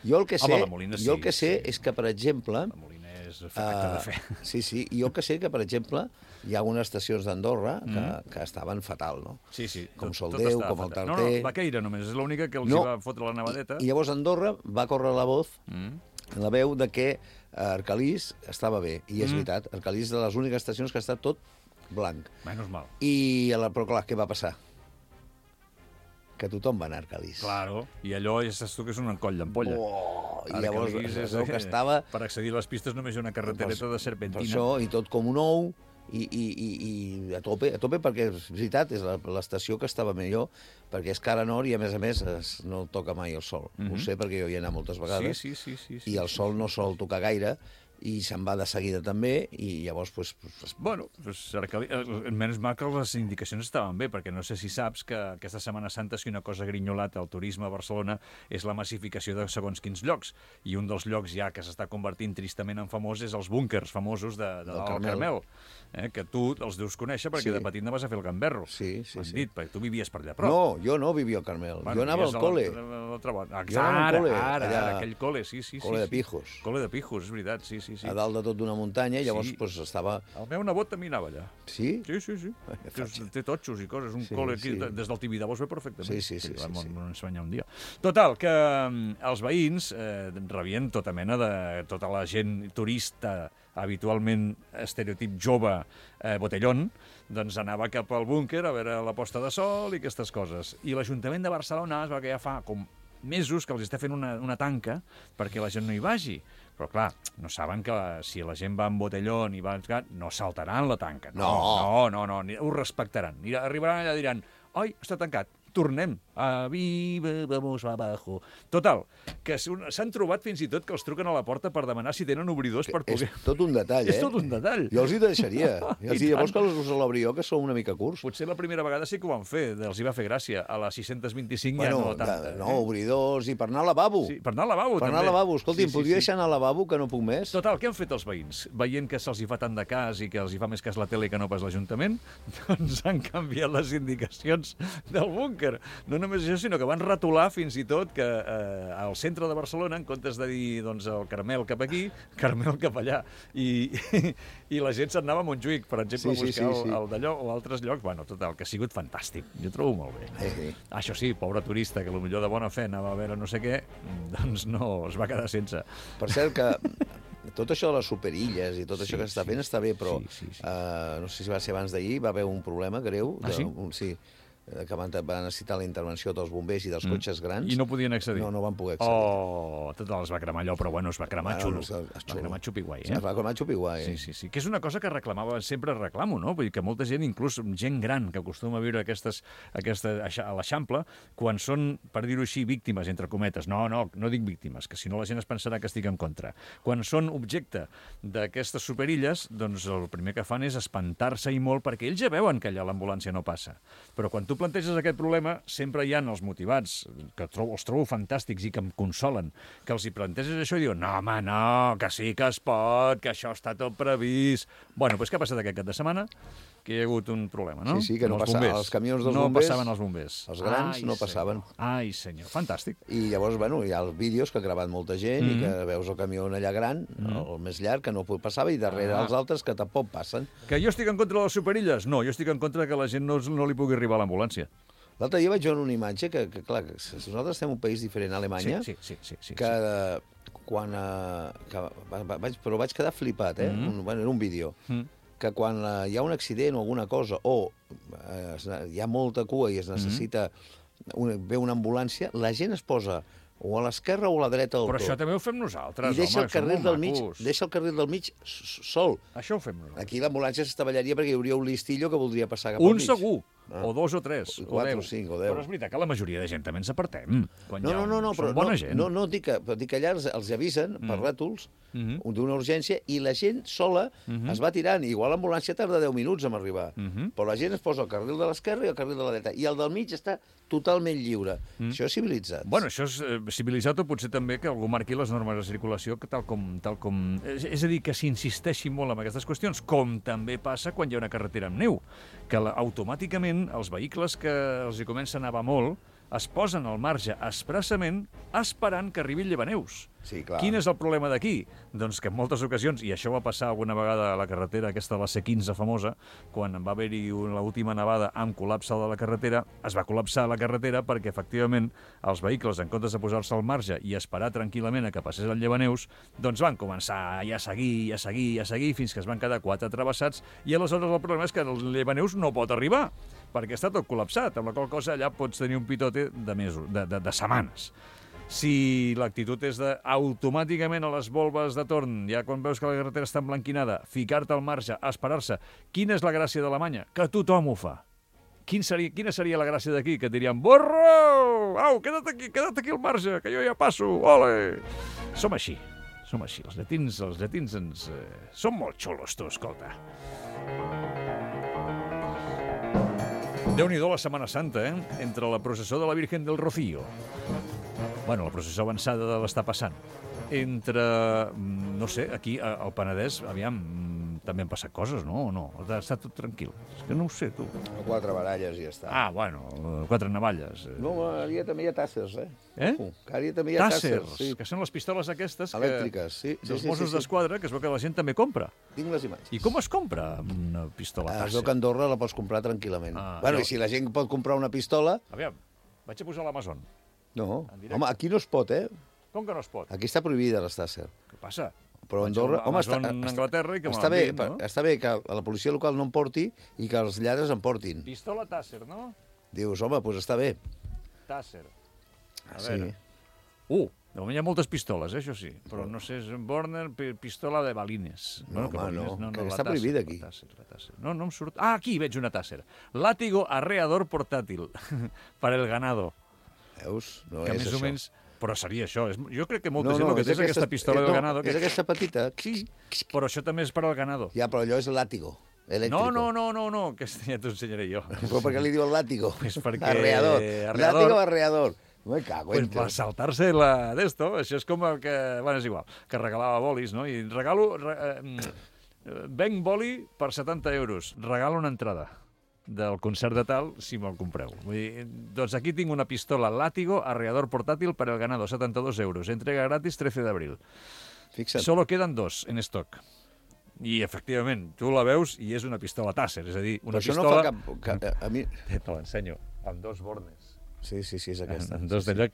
Jo el que sé, Home, Molina, sí, jo el que sé sí. és que, per exemple... La Molina és acte de fe. Uh, sí, sí, i jo el que sé que, per exemple, hi ha algunes estacions d'Andorra que, mm. que estaven fatal, no? Sí, sí. Com tot, Soldeu, tot com el Tarter... No, no, Baqueira només, és l'única que els no. va fotre la nevadeta. I, I llavors Andorra va córrer la voz, mm. la veu de que Arcalís estava bé. I és mm. veritat, Arcalís és de les úniques estacions que està tot blanc. Menys mal. I, però clar, què va passar? Que tothom va anar a Arcalís. Claro, i allò ja saps tu que és un coll d'ampolla. Oh, i llavors és el que estava... Per accedir a les pistes només hi ha una carretereta de serpentina. Per això, i tot com un ou, i, i, i, i a tope, a tope perquè és veritat, és l'estació que estava millor, perquè és cara nord i a més a més es, no toca mai el sol. Mm-hmm. Ho sé perquè jo hi he anat moltes vegades. Sí, sí, sí, sí, i el sol no sol tocar gaire, i se'n va de seguida també, i llavors... Pues, pues... Bueno, pues, menys mal que les indicacions estaven bé, perquè no sé si saps que aquesta Setmana Santa, si una cosa grinyolat al turisme a Barcelona, és la massificació de segons quins llocs, i un dels llocs ja que s'està convertint tristament en famós és els búnkers famosos de, de del Carmel, Carmel eh, que tu els deus conèixer perquè sí. de petit no vas a fer el gamberro. Sí, sí, sí. Dit, perquè tu vivies per allà prop. No, jo no vivia al Carmel, bueno, jo anava al col·le. Jo anava al col·le, ara, ara, aquell col·le, sí, sí. Col·le sí, de Pijos. Col·le de Pijos, és veritat, sí, sí. Sí. A dalt de tot d'una muntanya, llavors sí. pues, estava... El meu nebot també anava allà. Sí? Sí, sí, sí. Té, té totxos i coses, un sí, col·le aquí, sí. des del Tibidabo es ve perfectament. Sí, sí, sí. sí, sí, sí. M'ho ensenyar un dia. Total, que els veïns eh, rebien tota mena de... tota la gent turista, habitualment estereotip jove, eh, botellón, doncs anava cap al búnquer a veure la posta de sol i aquestes coses. I l'Ajuntament de Barcelona es va que ja fa com mesos que els està fent una, una tanca perquè la gent no hi vagi. Però, clar, no saben que la, si la gent va amb botellón i va... no saltaran la tanca. No, no, no, no, no ho respectaran. Arribaran allà i diran, oi, està tancat, tornem. A viva, vamos abajo. Total, que s'han trobat fins i tot que els truquen a la porta per demanar si tenen obridors per poder... És tot un detall, eh? És tot un detall. Jo els hi deixaria. I els diria, vols que els l'obrió, que sou una mica curts? Potser la primera vegada sí que ho van fer, els hi va fer gràcia. A les sis-cents vint-i-cinc bueno, ja no tanta. No, obridors i per anar al lavabo. Sí, per anar al lavabo, per també. Per anar al lavabo. Escolti, sí, em podria sí, deixar anar al lavabo, que no puc més? Total, què han fet els veïns? Veient que se'ls hi fa tant de cas i que els hi fa més cas la tele que no pas l'Ajuntament, doncs han canviat les indicacions del búnquer. búnquer. No només això, sinó que van retolar fins i tot que eh, al centre de Barcelona, en comptes de dir doncs, el Carmel cap aquí, Carmel cap allà. I, i la gent se'n anava a Montjuïc, per exemple, Sí, a sí, buscar sí, sí. el, el d'allò o altres llocs. Bueno, total, que ha sigut fantàstic. Jo trobo molt bé. Sí, sí. Això sí, pobre turista, que potser de bona fe anava a veure no sé què, doncs no, es va quedar sense. Per cert que tot això de les superilles i tot Sí, això que s'està sí, fent està bé, però sí, sí, sí. Uh, no sé si va ser abans d'ahir, va haver un problema greu. Ah, sí? Un, sí, eh, que van, van necessitar la intervenció dels bombers i dels Mm. cotxes grans. I no podien accedir. No, no van poder accedir. Oh, tot els va cremar allò, però bueno, es va cremar Bueno, xulo. es- es Es va xulo. cremar xupiguai, Es eh? va cremar xupiguai. Sí, sí, sí. Que és una cosa que reclamava, sempre reclamo, no? Vull dir que molta gent, inclús gent gran, que acostuma a viure aquestes, aquesta, a l'Eixample, quan són, per dir-ho així, víctimes, entre cometes. No, no, no dic víctimes, que si no la gent es pensarà que estic en contra. Quan són objecte d'aquestes superilles, doncs el primer que fan és espantar-se i molt, perquè ells ja veuen que allà l'ambulància no passa. Però quan tu planteges aquest problema, sempre hi ha els motivats, que trobo, els trobo fantàstics i que em consolen, que els hi planteges això i diuen no, home, no, que sí que es pot, que això està tot previst. Bueno, doncs què ha passat aquest cap de setmana? Que hi ha hagut un problema, no? Sí, sí, que no Amb els passa- bombers. els camions dels no bombers, No passaven els bombers. els grans Ai, no senyor. passaven. Ai, senyor, fantàstic. I llavors, bueno, hi ha els vídeos que ha gravat molta gent Mm. i que veus el camió allà gran, el més llarg, que no passava, i darrere Ah. els altres que tampoc passen. Que jo estic en contra de les superilles? No, jo estic en contra que la gent no, no li pugui arribar a l'ambulància. L'altre dia vaig veure una imatge que, que clar, que si nosaltres estem en un país diferent a Alemanya, Sí, sí, sí. sí, sí, que eh, quan... Eh, que va, va, vaig, però vaig quedar flipat, eh? Mm. Un, bueno, era un vídeo. Mm. Que quan eh, hi ha un accident o alguna cosa, o eh, es, hi ha molta cua i es necessita... Una, ve una ambulància, la gent es posa o a l'esquerra o a la dreta del Però tot. això també ho fem nosaltres, I deixa home, el carril som del molt mig, macos. deixa el carril del mig s- sol. Això ho fem nosaltres. Aquí l'ambulància s'estavellaria perquè hi hauria un listillo que voldria passar cap Un al mig. segur, Ah. o dos o tres, O o quatre, deu. o cinc, o deu. Però és veritat que la majoria de gent també ens apartem. Quan No, hi ha no, no, un- no, som però bona no, gent. no, no dic que, però dic que allà els, els avisen per rètols Mhm. d'una urgència i la gent sola Mhm. es va tirant. Igual l'ambulància tarda deu minuts en arribar, Mhm. però la gent es posa al carril de l'esquerra i al carril de la dreta. I el del mig està totalment lliure. Això és civilitzat. Bueno, això és eh, civilitzat o potser també que algú marqui les normes de circulació que tal com... Tal com... És, és a dir, que s'insisteixi molt en aquestes qüestions, com també passa quan hi ha una carretera amb neu, que la, automàticament els vehicles que els hi comença a nevar molt es posen al marge expressament esperant que arribi el llevaneus. Sí, clar. Quin és el problema d'aquí? Doncs que en moltes ocasions, i això va passar alguna vegada a la carretera, aquesta de la C quinze famosa, quan va haver-hi l'última nevada amb col·lapse de la carretera, es va col·lapsar la carretera perquè, efectivament, els vehicles, en comptes de posar-se al marge i esperar tranquil·lament a que passés el llevaneus, doncs van començar ja a seguir, ja a seguir, ja a seguir, fins que es van quedar quatre travessats, i aleshores el problema és que el llevaneus no pot arribar, perquè està tot col·lapsat, amb la qual cosa allà pots tenir un pitote de mesos, de, de, de setmanes. Si l'actitud és de automàticament a les volves de torn, ja quan veus que la carretera està emblanquinada, ficar-te al marge, esperar-se, quina és la gràcia d'Alemanya? Que tothom ho fa. Quin seria, quina seria la gràcia d'aquí? Que et dirien, borro! Au, queda't aquí, queda't aquí al marge, que jo ja passo, ole! Som així, som així. Els llatins, els llatins ens... Eh, som molt xulos, tu, escolta. Déu-n'hi-do la Setmana Santa, eh? Entre la processó de la Virgen del Rocío. Bueno, la processó avançada de l'està passant. Entre, mm, no sé, aquí a- al Penedès, aviam, mm, també han passat coses, no? O no? Està tot tranquil. És que no ho sé, tu. Quatre baralles i ja està. Ah, bueno, eh, quatre navalles. eh. No, ara també hi ha tàssers, eh? Eh? Ojo, que ara també hi ha tàssers. Tàssers, Sí. que són les pistoles aquestes que, Elèctriques, sí. sí, dels sí, Mossos sí, sí. d'Esquadra, que es veu que la gent també compra. Tinc les imatges. I com es compra una pistola Ah, es tàsser? veu que a Andorra la pots comprar tranquil·lament. Ah, bueno, jo- i si la gent pot comprar una pistola... Aviam, vaig a posar l'Amazon. No, En directe. home, aquí no es pot, eh? Com que no es pot? Aquí està prohibida les tàsser. Què passa? Però a Vaig Andorra... a Home, està, Amazon, està, Anglaterra, i que me està, bé, l'enviïn, no? està bé que la policia local no en porti i que els lladres en portin. Pistola Tàsser, no? Dius, home, doncs està bé. Tàsser. A Sí. veure. Uh, de moment hi ha moltes pistoles, eh, això sí. Però no sé, és un Borner, pi- pistola de balines. No, home, balines, no, que la està Tàsser, prohibida la aquí. Tàsser, la Tàsser. No, no em surt... Ah, aquí veig una Tàsser. Látigo arreador portàtil para el ganado. Veus? No Que és més això. o menys... Però seria això. És... Jo crec que molta No, gent no, el que és té és aquesta aquesta- pistola eh, del no, ganado. és aquesta petita. Sí, però això també és per al ganado. Ja, però allò és látigo, elèctrico. No, no, no, no, no, que ja t'ho ensenyaré jo. Però per què li diuen látigo? Pues perquè... Arreador. arreador. Látigo o arreador. Me cago Pues en per saltar-se la d'esto, això és com el que... Bueno, és igual, que regalava bolis, no? I regalo... Re, eh, venc boli per setanta euros, regalo una entrada. del concert de tal, si me'l compreu. Vull dir, doncs aquí tinc una pistola Látigo, arreador portátil para el ganado, setanta dos euros. Entrega gratis trece de abril. Fixa't. Solo queden dos en stock. I, efectivament, tu la veus i és una pistola Taser, és a dir, una Però això pistola... no fa cap... cap a mi... Te l'ensenyo, amb dos bornes. Sí, sí, sí, és aquesta. Amb dos d'allò...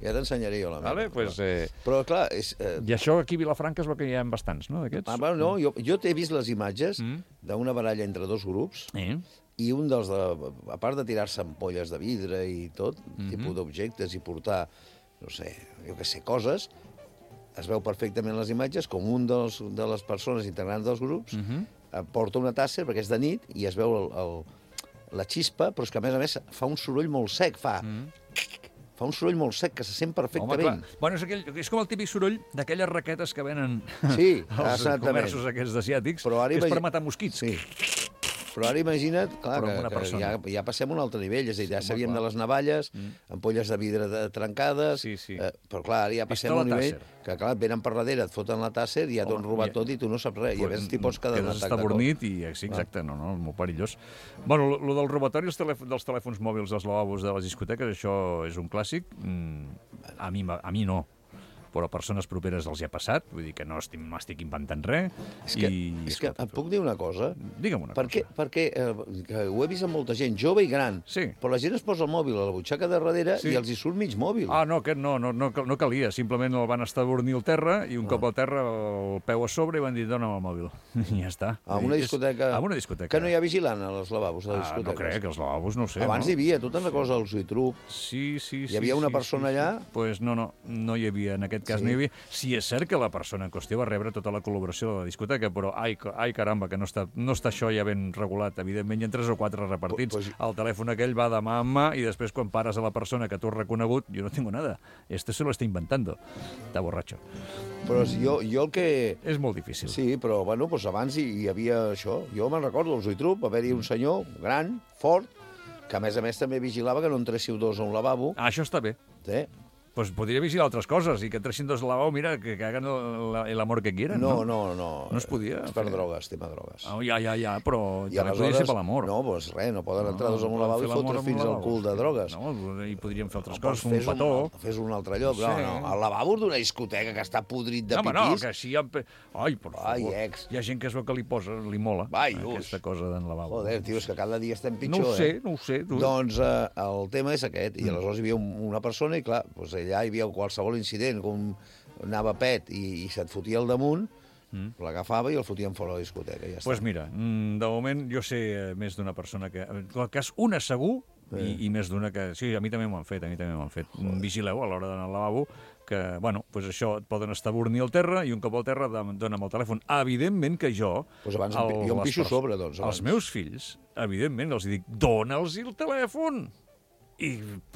Ja t'ensenyaré jo la meva. Vale, pues, eh... Però, clar, és... Eh... I això aquí a Vilafranca es veu que hi ha bastants, no, d'aquests? Ah, bueno, no, jo, jo t'he vist les imatges Mm. d'una baralla entre dos grups Eh? i un dels, de, a part de tirar-se ampolles de vidre i tot, Mhm. tipus d'objectes i portar, no sé, jo què sé, coses, es veu perfectament les imatges com un dels, de les persones integrants dels grups Mhm. eh, porta una tàsser, perquè és de nit, i es veu el, el, la xispa, però és que, a més a més, fa un soroll molt sec, fa... Mm. Fa un soroll molt sec que se sent Home, perfectament. clar. Bueno, és, aquell, és com el típic soroll d'aquelles raquetes que venen Sí, als exactament. comerços aquests asiàtics, Però ara que és per imagi- matar mosquits. Sí. Però ara imagina't, clar, Però que, amb una que persona. ja, ja passem a un altre nivell, és a dir, ja Home, sabíem clar. de les navalles, Mm. ampolles de vidre de, trencades, Sí, sí. Eh, però clar, ara ja passem Pistola a un nivell Taser. que, clar, et venen per darrere, et foten la Taser, i ja t'ho han Home, robat ja- tot i tu no saps res, i a veure, t'hi pots quedar un Quedes atac de cop. estabornit i... Sí, exacte, no, no, molt perillós. Bueno, lo, lo del robatori dels, telèf dels telèfons mòbils als lavabos de les discoteques, això és un clàssic. Mm, a, mi, m'ha- a mi no, però a persones properes els hi ha passat, vull dir que no estic, no estic inventant res. És que, i, és que et puc dir una cosa? Digue'm una perquè, cosa. Perquè eh, que ho he vist amb molta gent, jove i gran, Sí. però la gent es posa el mòbil a la butxaca de darrere Sí. i els hi surt mig mòbil. Ah, no, aquest no, no, no, cal- no calia, simplement el van estabornir al terra i un Ah. cop al terra el peu a sobre i van dir dona'm el mòbil. I ja està. A Vull una dir, és- discoteca... A una discoteca. Que no hi ha vigilant als lavabos de les Ah, discoteques. no crec, els lavabos no ho sé. Abans no? hi havia, tu te'n recordes del Zuitrup? Sí, sí, sí. Hi havia una sí, persona sí, allà? Sí. Pues no, no, no hi havia, en aquest cas Sí. no hi havia. Sí, és cert que la persona en qüestió va rebre tota la col·laboració de la discoteca, però ai, ca- ai caramba, que no està, no està això ja ben regulat. Evidentment hi ha tres o quatre repartits. Pues- El telèfon aquell va de mà en mà i després quan pares a la persona que tu has reconegut, jo no tengo nada. Este se lo está inventando. Está borracho. Però jo, jo el que... És molt difícil. Sí, però bueno, doncs abans hi, hi havia això. Jo me'n recordo, al Zuitrup, va haver-hi un senyor gran, fort, que a més a més també vigilava que no entréssiu dos a un lavabo. Ah, això està bé. Sí. Pues podria vigilar altres coses i que entressin dos al lavabo, mira, que, que hagan el, el amor que quieran, No, no? no, no. No es podia És per fer. drogues, tema drogues. Ah, ja, ja, ja, però I també podria ser per l'amor. No, doncs res, no poden entrar dos a un poden lavabo fer i l'amor fotre en un fins al lavabo. cul de drogues. No, i podríem fer altres No, coses, doncs un petó. Un, fes un altre lloc. No No, sé. no, al lavabo d'una discoteca que està podrit de No, home, no, pipís. que així... Hi ha... Ai, per Ai, favor. ex. Hi ha gent que es veu que li posa, li mola, Vai, aquesta cosa d'en lavabo. Joder, tio, és que cada dia estem No pitjor, ho sé, eh? no ho sé. Tu. Doncs eh, el tema és aquest, i aleshores hi havia un, una persona i clar, doncs allà hi havia qualsevol incident, com anava pet i, i se't fotia al damunt, mm. l'agafava i el fotien fora de la discoteca, i ja Doncs pues està. mira, mm, de moment jo sé eh, més d'una persona que... En qualsevol cas, una segur i, i més d'una que... Sí, a mi també m'ho han fet, a mi també m'ho han fet. Joder. Vigileu a l'hora d'anar al lavabo que, bueno, pues això, et poden estabornir al terra i un cop al terra dona'm el telèfon. Evidentment que jo... Pues abans em pi- jo em les pixo pers- sobre, doncs, abans. Els meus fills, evidentment, els dic, dona'ls el telèfon. I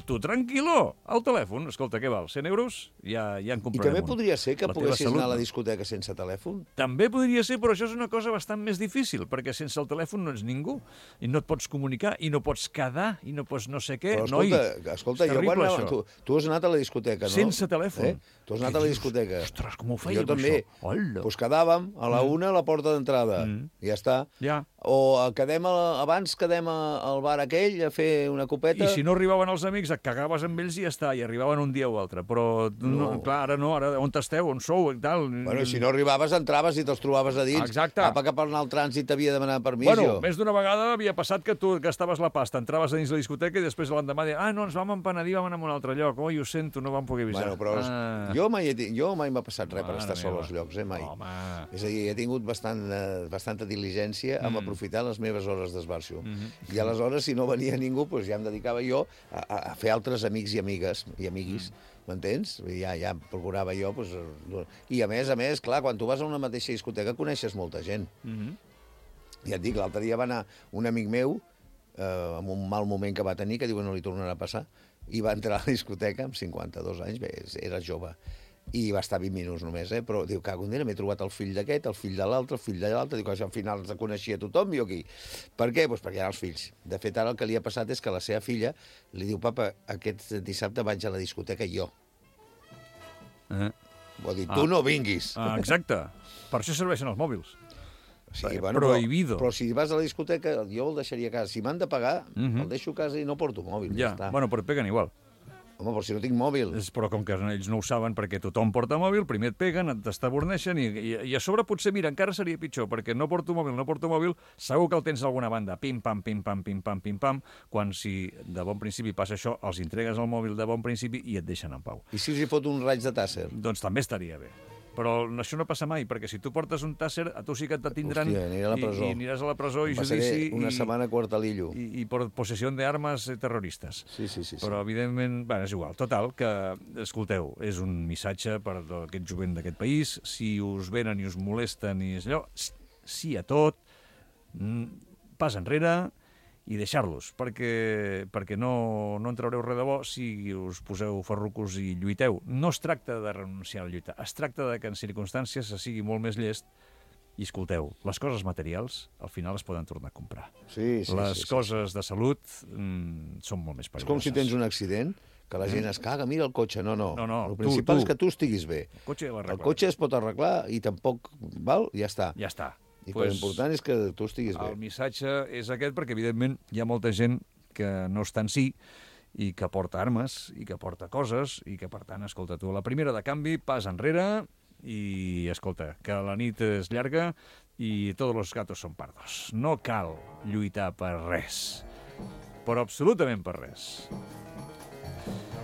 tu, tranquil·lo, el telèfon, escolta, què val, cent euros? Ja, ja en I comprarem també un. podria ser que La teva poguessis salut, anar a la no? discoteca sense telèfon? També podria ser, però això és una cosa bastant més difícil, perquè sense el telèfon no ets ningú, i no et pots comunicar, i no pots quedar, i no pots no sé què. Però Noi, escolta, escolta és jo quan terrible, anava, tu, tu has anat a la discoteca, no? Sense telèfon. Eh? Tu has anat Què a la dius? discoteca. Ostres, com ho fèiem, Jo també. això? Hola. Doncs quedàvem a la una a la porta d'entrada. Mm. I ja està. Ja. O eh, quedem a, abans quedem a, al bar aquell a fer una copeta. I si no arribaven els amics, et cagaves amb ells i ja està, i arribaven un dia o altre. Però, no. No. clar, ara no, ara on esteu, on sou i tal. Bueno, i si no arribaves, entraves i te'ls trobaves a dins. Exacte. Apa, que per anar al trànsit t'havia de demanar permís, Bueno, jo. més d'una vegada havia passat que tu gastaves la pasta, entraves a dins la discoteca i després l'endemà deies, ah, no, ens vam empenedir, vam anar a un altre lloc. Oi, ho sento, no vam poder avisar. Bueno, però ah. jo mai, he, ti- jo mai m'ha passat res per Mare estar sol meva. als llocs, eh, mai. Home. És a dir, he tingut bastant, eh, bastanta diligència amb Mm. aprofitar les meves hores d'esbarjo. Mhm. I aleshores, si no venia ningú, doncs ja em dedicava jo a, a, a fer altres amics i amigues i amiguis, Mm. m'entens? I Ja, ja procurava jo... Doncs, eh, I a més, a més, clar, quan tu vas a una mateixa discoteca coneixes molta gent. Mhm. Ja et dic, l'altre dia va anar un amic meu, eh, amb un mal moment que va tenir, que diu que no li tornarà a passar, i va entrar a la discoteca amb cinquanta-dos anys, bé, era jove, i va estar vint minuts només, eh? Però diu, cago en Déu, m'he trobat el fill d'aquest, el fill de l'altre, el fill de l'altre, diu que al final ens coneixia tothom, jo aquí. Per què? Doncs perquè eren els fills. De fet, ara el que li ha passat és que la seva filla li diu, papa, aquest dissabte vaig a la discoteca jo. Eh. Vol dir, Ah. tu no vinguis. Ah, exacte. Per això serveixen els mòbils. Sí, Eh, bueno, prohibido. Però, però si vas a la discoteca, jo el deixaria a casa. Si m'han de pagar, uh -huh. el deixo a casa i no porto mòbil. Ja, ja està. bueno, però et peguen igual. Home, però si no tinc mòbil. És, però com que ells no ho saben, perquè tothom porta mòbil, primer et peguen, et t'estaborneixen i, i, i a sobre potser, mira, encara seria pitjor, perquè no porto mòbil, no porto mòbil, segur que el tens a alguna banda, pim-pam, pim-pam, pim-pam, pim-pam, quan si de bon principi passa això, els entregues el mòbil de bon principi i et deixen en pau. I si els hi fot un raig de tàsser? Doncs també estaria bé. Però això no passa mai, perquè si tu portes un tàsser, a tu sí que et detindran. Hòstia, aniré a la presó. I, i aniràs a la presó i Passaré judici... una i, setmana a Quartalillo. I, i per possessió d'armes terroristes. Sí, sí, sí. Però, sí. evidentment, bueno, és igual. Total, que, escolteu, és un missatge per aquest jovent d'aquest país. Si us venen i us molesten i és allò, sí a tot, pas enrere i deixar-los, perquè, perquè no, no en traureu res de bo si us poseu ferrucos i lluiteu. No es tracta de renunciar a la lluita, es tracta de que en circumstàncies se sigui molt més llest i, escolteu, les coses materials al final es poden tornar a comprar. Sí, sí, les sí, sí, coses sí. de salut mm, són molt més perilloses. És com si tens un accident, que la gent es caga, mira el cotxe. No, no. No, no, el tu, principal tu. és que tu estiguis bé. El cotxe, ja el cotxe es pot arreglar i tampoc val, ja està. Ja està. I pues, l'important és que tu estiguis bé. El missatge és aquest perquè, evidentment, hi ha molta gent que no està en si i que porta armes i que porta coses i que, per tant, escolta, tu, la primera de canvi, pas enrere i, escolta, que la nit és llarga i tots els gatos són pardos. No cal lluitar per res, però absolutament per res.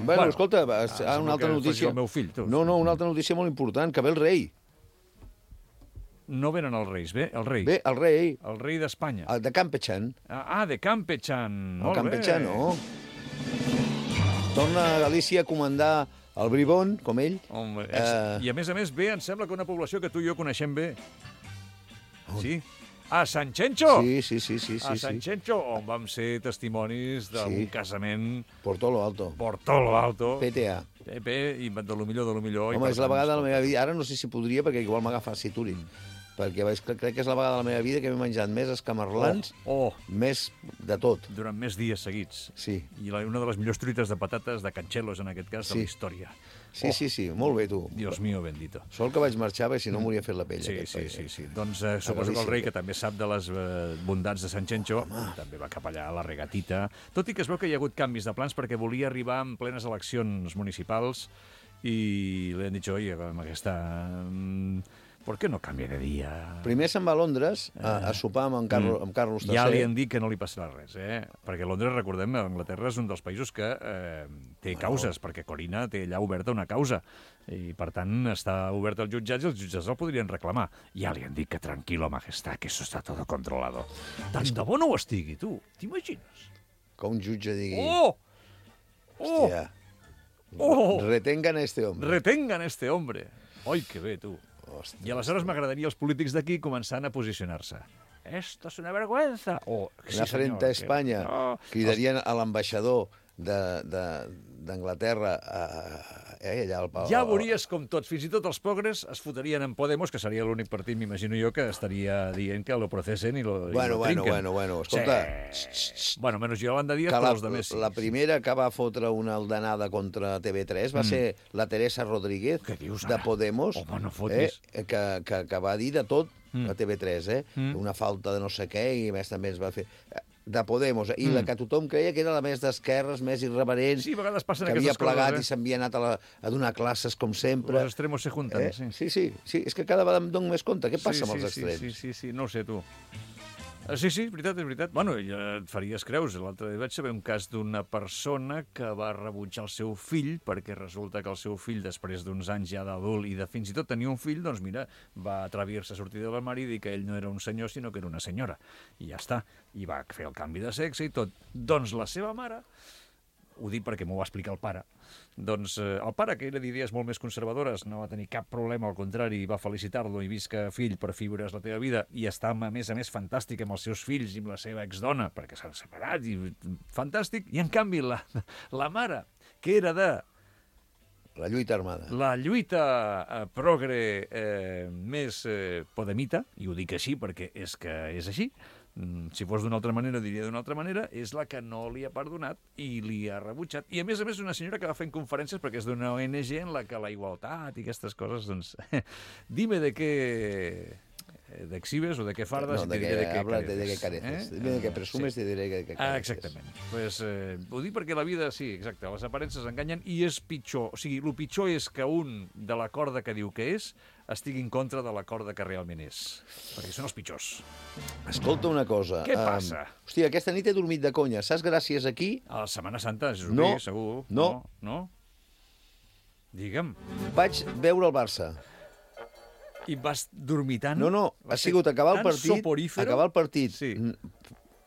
Bueno, Bueno, escolta, ah, ah, una altra que faci notícia. el meu fill, tu. No, no, una altra notícia molt important, que ve el rei. No venen els reis, bé, el rei. Ve el rei, El rei d'Espanya. el de Campechan. Ah, de Campechan. El Molt Campechan, bé. no. Torna a Galícia a comandar el Bribón, com ell. Home, és... Eh. I a més a més ve, em sembla que una població que tu i jo coneixem bé. Sí? A Sant Xenxo! Sí, sí, sí, sí, a sí, Sant sí. Xenxo, on vam ser testimonis d'un Sí. casament Por todo lo alto. por tot lo alto. P T A. P P, i de lo millor, de lo millor. i Home, per és la tant, vegada de la escolta, meva vida... Ara no sé si podria, perquè igual m'agafa Siturin. Perquè vaig, crec que és la vegada de la meva vida que m'he menjat més escamarlans, Oh, oh, més de tot. durant més dies seguits. Sí, I la, una de les millors truites de patates de Canxelos, en aquest cas, Sí. de la història. sí, Oh. sí, sí, molt bé, tu. Dios mío bendito. Sort que vaig marxar, perquè si no m'hauria fet la pell, Sí, aquest sí, país. sí, sí. Doncs eh, suposo que el Galícia. rei, que també sap de les eh, bondats de Sant Xenxo, també va cap allà a la regatita. Tot i que es veu que hi ha hagut canvis de plans perquè volia arribar en plenes eleccions municipals i li han dit, oye, amb aquesta... mm, ¿por qué no cambia de dia? Primer se'n va a Londres a, a sopar amb, en Carlos, amb Carlos tercer. Ja li han dit que no li passarà res, eh? Perquè Londres, recordem, Anglaterra és un dels països que eh, té causes, perquè Corina té allà oberta una causa, i per tant està obert als jutjats i els jutjats el podrien reclamar. Ja li han dit que tranquilo, majestad, que eso está todo controlado. Tant de bo no ho estigui, tu, t'imagines? Que un jutge digui... Oh! Oh! Hòstia, Oh! retengan a este hombre. Retengan este hombre. Oi, que bé, tu. Hòstia, I aleshores m'agradaria els polítics d'aquí començant a posicionar-se. Esto es una vergüenza. O, Una frente a Espanya, No. cridarien a l'ambaixador d'Anglaterra eh, allà al Pau. Ja veuries com tots, fins i tot els progres es fotrien en Podemos, que seria l'únic partit, m'imagino jo, que estaria dient que lo procesen i lo, Bueno, i lo bueno, trinquen. bueno, bueno, escolta. Sí. Bueno, menys Yolanda Díaz, Que però la, els de més. la primera que va fotre una aldanada contra T V tres va Mm. ser la Teresa Rodríguez, Què dius, de ara? Podemos, Home, no eh, fotis. que, que, que va dir de tot Mm. a T V tres, eh? Mm. Una falta de no sé què, i a més també es va fer... De Podemos, i Mm. la que tothom creia que era la més d'esquerres, més irreverent, Sí, a vegades passen que havia aquestes coses, plegat eh? i s'havia anat a, la, a donar classes, com sempre. Los extremos se juntan, Eh? sí. Sí, sí, sí, és que cada vegada em dono més compte. Què passa sí, amb els sí, extrems? Sí, sí, sí, no ho sé, tu. Eh, Sí, sí, és veritat, és veritat. Bueno, ja et faries creus. L'altre dia vaig saber un cas d'una persona que va rebutjar el seu fill perquè resulta que el seu fill, després d'uns anys ja d'adult i de fins i tot tenir un fill, doncs mira, va atrevir-se a sortir de l'armari i dir que ell no era un senyor, sinó que era una senyora. I ja està. I va fer el canvi de sexe i tot. Doncs la seva mare, ho dic perquè m'ho va explicar el pare, doncs eh, el pare, que era d'idees molt més conservadores, no va tenir cap problema, al contrari, va felicitar-lo i visca, fill, per fi veuràs la teva vida, i està, a més a més, fantàstic amb els seus fills i amb la seva exdona, perquè s'han separat, i fantàstic, i en canvi la, la mare, que era de La lluita armada. la lluita eh, progre eh, més eh, podemita, i ho dic així perquè és que és així, Mm, si fos d'una altra manera, diria d'una altra manera, és la que no li ha perdonat i li ha rebutjat. I, a més a més, una senyora que va fent conferències perquè és d'una O N G en la que la igualtat i aquestes coses, doncs... Dime de què... ¿De exhibes o de qué fardas? No, y de te que diré de qué hablas de, careces. de qué careces. Eh? Dime de què presumes Sí. i te diré de què careces. Ah, exactament. Pues, eh, ho dic perquè la vida, sí, exacte, les aparences enganyen i és pitjor. O sigui, el pitjor és que un de la corda que diu que és estigui en contra de la corda que realment és. Perquè són els pitjors. Escolta una cosa. Què passa? Um, hòstia, aquesta nit he dormit de conya. Saps gràcies a qui? A la Setmana Santa, és No, obvi, segur. no. No? no? Digue'm. Vaig veure el Barça. I vas dormir tant? No, no, Va ha ser sigut acabar el tan partit, soporífero? acabar el partit, Sí. n-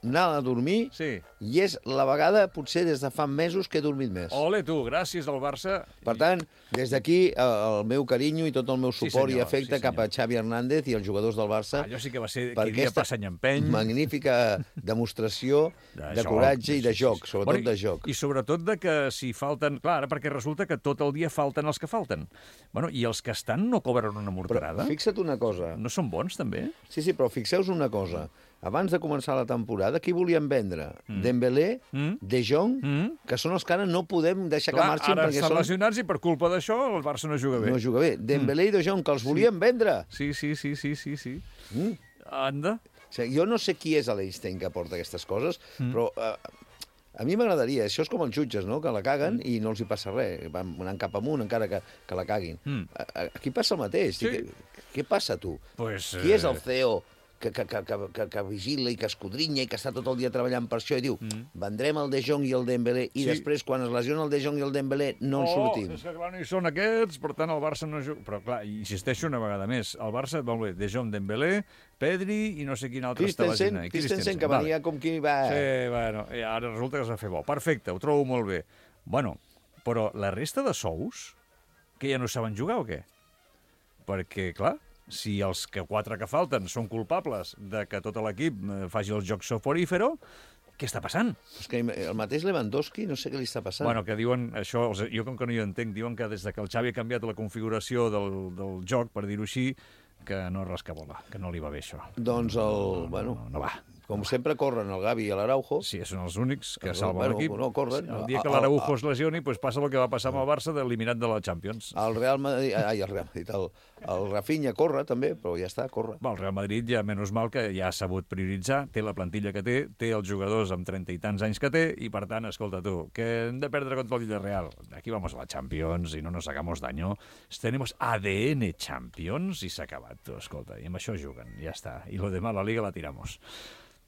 anar a dormir, Sí. i és la vegada, potser des de fa mesos, que he dormit més. Ole, tu, gràcies al Barça. Per tant, des d'aquí, eh, el meu carinyo i tot el meu Sí, suport i senyor, afecte sí, cap a senyor. Xavi Hernández i els jugadors del Barça. Allò sí que va ser per qui dia aquesta passa any empeny. magnífica demostració de, coratge i de joc, sobretot Bueno, de joc. I sobretot de que si falten... Clar, ara perquè resulta que tot el dia falten els que falten. Bueno, i els que estan no cobren una Però morterada? fixa't una cosa. No són bons, també? Sí, sí, però fixeu-vos una cosa. Abans de començar la temporada, qui volien vendre? Mm. Dembélé, Mm. De Jong, Mm. que són els que ara no podem deixar Clar, que marxin ara perquè estan són... lesionats i per culpa d'això el Barça no juga bé. No juga bé. Dembélé i De Jong, que els volien vendre. Sí, sí, sí, sí, sí, sí. Mm. Anda. O sigui, jo no sé qui és l'Einstein que porta aquestes coses, mm. però eh, a mi m'agradaria. Això és com els jutges, no?, que la caguen mm. i no els hi passa res. Van anant cap amunt encara que, que la caguin. Mm. Aquí passa el mateix. Sí. Què, què passa, tu? Pues, Qui és el eh, C E O que, que, que, que, que, que vigila i que escudrinya i que està tot el dia treballant per això i diu mm. vendrem el De Jong i el Dembélé i Sí. després, quan es lesiona el De Jong i el Dembélé, no en oh, sortim? és que clar, no hi són aquests, per tant el Barça no juga... Però clar, insisteixo una vegada més, el Barça, molt bé, De Jong, Dembélé, Pedri i no sé quin altre està Christensen, lesionat. Christensen, que venia com qui va... Sí, bueno, i ara resulta que s'ha fet bo. Perfecte, ho trobo molt bé. Bueno, però la resta de sous, que ja no saben jugar o què? Perquè, clar, si els que quatre que falten són culpables de que tot l'equip eh, faci el joc soporífero, què està passant? És que el mateix Lewandowski, no sé què li està passant. Bueno, que diuen, això, els- jo com que no hi entenc, diuen que des de que el Xavi ha canviat la configuració del, del joc, per dir-ho així, que no rascabola, que no li va bé això. Doncs el... bueno, No, no va. com sempre corren el Gavi i l'Araujo. Sí, són els únics que Bueno, salven bueno, l'equip. no corren. El dia que A- a- l'Araujo a- es lesioni, pues passa el que va passar amb el Barça d'eliminat de la Champions. El Real Madrid... Ai, el Real Madrid. El, el Rafinha corre, també, però ja està, corre. Va, el Real Madrid ja, menys mal que ja ha sabut prioritzar, té la plantilla que té, té els jugadors amb trenta i tants anys que té, i per tant, escolta tu, que hem de perdre contra el Villarreal. Aquí vamos a la Champions i no nos hagamos daño. Tenemos A D N Champions i s'ha acabat, tu, escolta, i amb això juguen, ja està. I lo demás, la Liga la tiramos.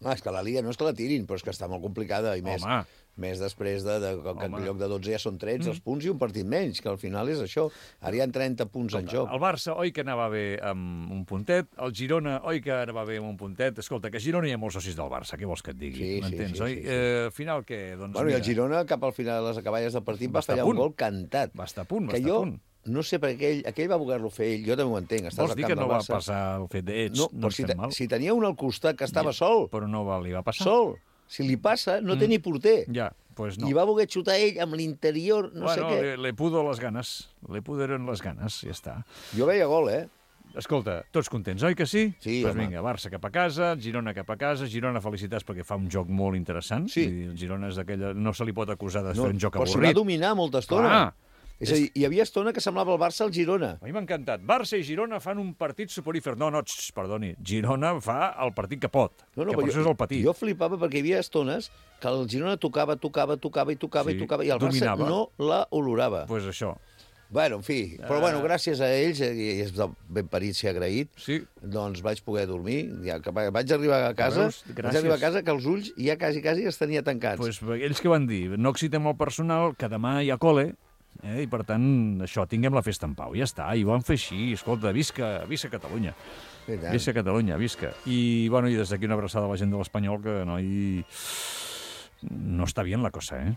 No, és que la Liga no és que la tirin, però és que està molt complicada, i més, Home. més després de, de que Home. en lloc de dotze ja són tretze els punts i un partit menys, que al final és això. Ara hi ha trenta punts en joc. El Barça, oi que anava bé amb un puntet, el Girona, oi que anava bé amb un puntet. Escolta, que a Girona hi ha molts socis del Barça, què vols que et digui? Sí, sí, M'entens, sí, oi? sí, sí. Eh, al final, què? Doncs, Bueno, i el mira, Girona, cap al final de les acaballes del partit, Va va estar a fallar un punt. gol cantat. Va estar a punt, va que estar a jo punt. no sé per què ell, aquell va voler-lo fer ell, jo també ho entenc. Estàs Vols al dir camp que no del va Barça. passar el fet d'ets, No, no, però si, estem te, mal? si tenia un al costat que estava Ja, sol, Però no va, li va passar? sol, si li passa, no té ni porter. Ja, pues no. I va voler xutar ell amb l'interior, no bueno, sé què. le, le pudo les ganes, le puderen les ganes, ja està. Jo veia gol, eh? Escolta, tots contents, oi que sí? Sí, pues home. vinga, Barça cap a casa, Girona cap a casa, Girona felicitats perquè fa un joc molt interessant. Sí. Vull dir, el Girona és d'aquella... No se li pot acusar de No, fer un joc però s'hi va avorrit. dominar molta estona. Clar. És a dir, hi havia estona que semblava el Barça al Girona. A mi m'ha encantat. Barça i Girona fan un partit soporífer. No, no, tx, perdoni. Girona fa el partit que pot, No, no, que per però això és el petit. Jo flipava perquè hi havia estones que el Girona tocava, tocava, tocava i tocava Sí, i tocava, i el dominava. Barça no la olorava. Pues això. Bueno, en fi, però bueno, gràcies a ells, eh, i és de ben parit ser agraït, Sí. doncs vaig poder dormir. Ja, que vaig arribar a casa, Veus? vaig Gràcies. arribar a casa que els ulls ja quasi, quasi els tenia tancats. Pues, ells que van dir, no excitem el personal, que demà hi ha col·le, eh, i per tant, això, tinguem la festa en pau. Ja està, i ho van fer així. Escolta, visca, visca Catalunya. I tant. Visca Catalunya, visca. I, bueno, i des d'aquí una abraçada a la gent de l'Espanyol, que no hi... No està bien la cosa, eh?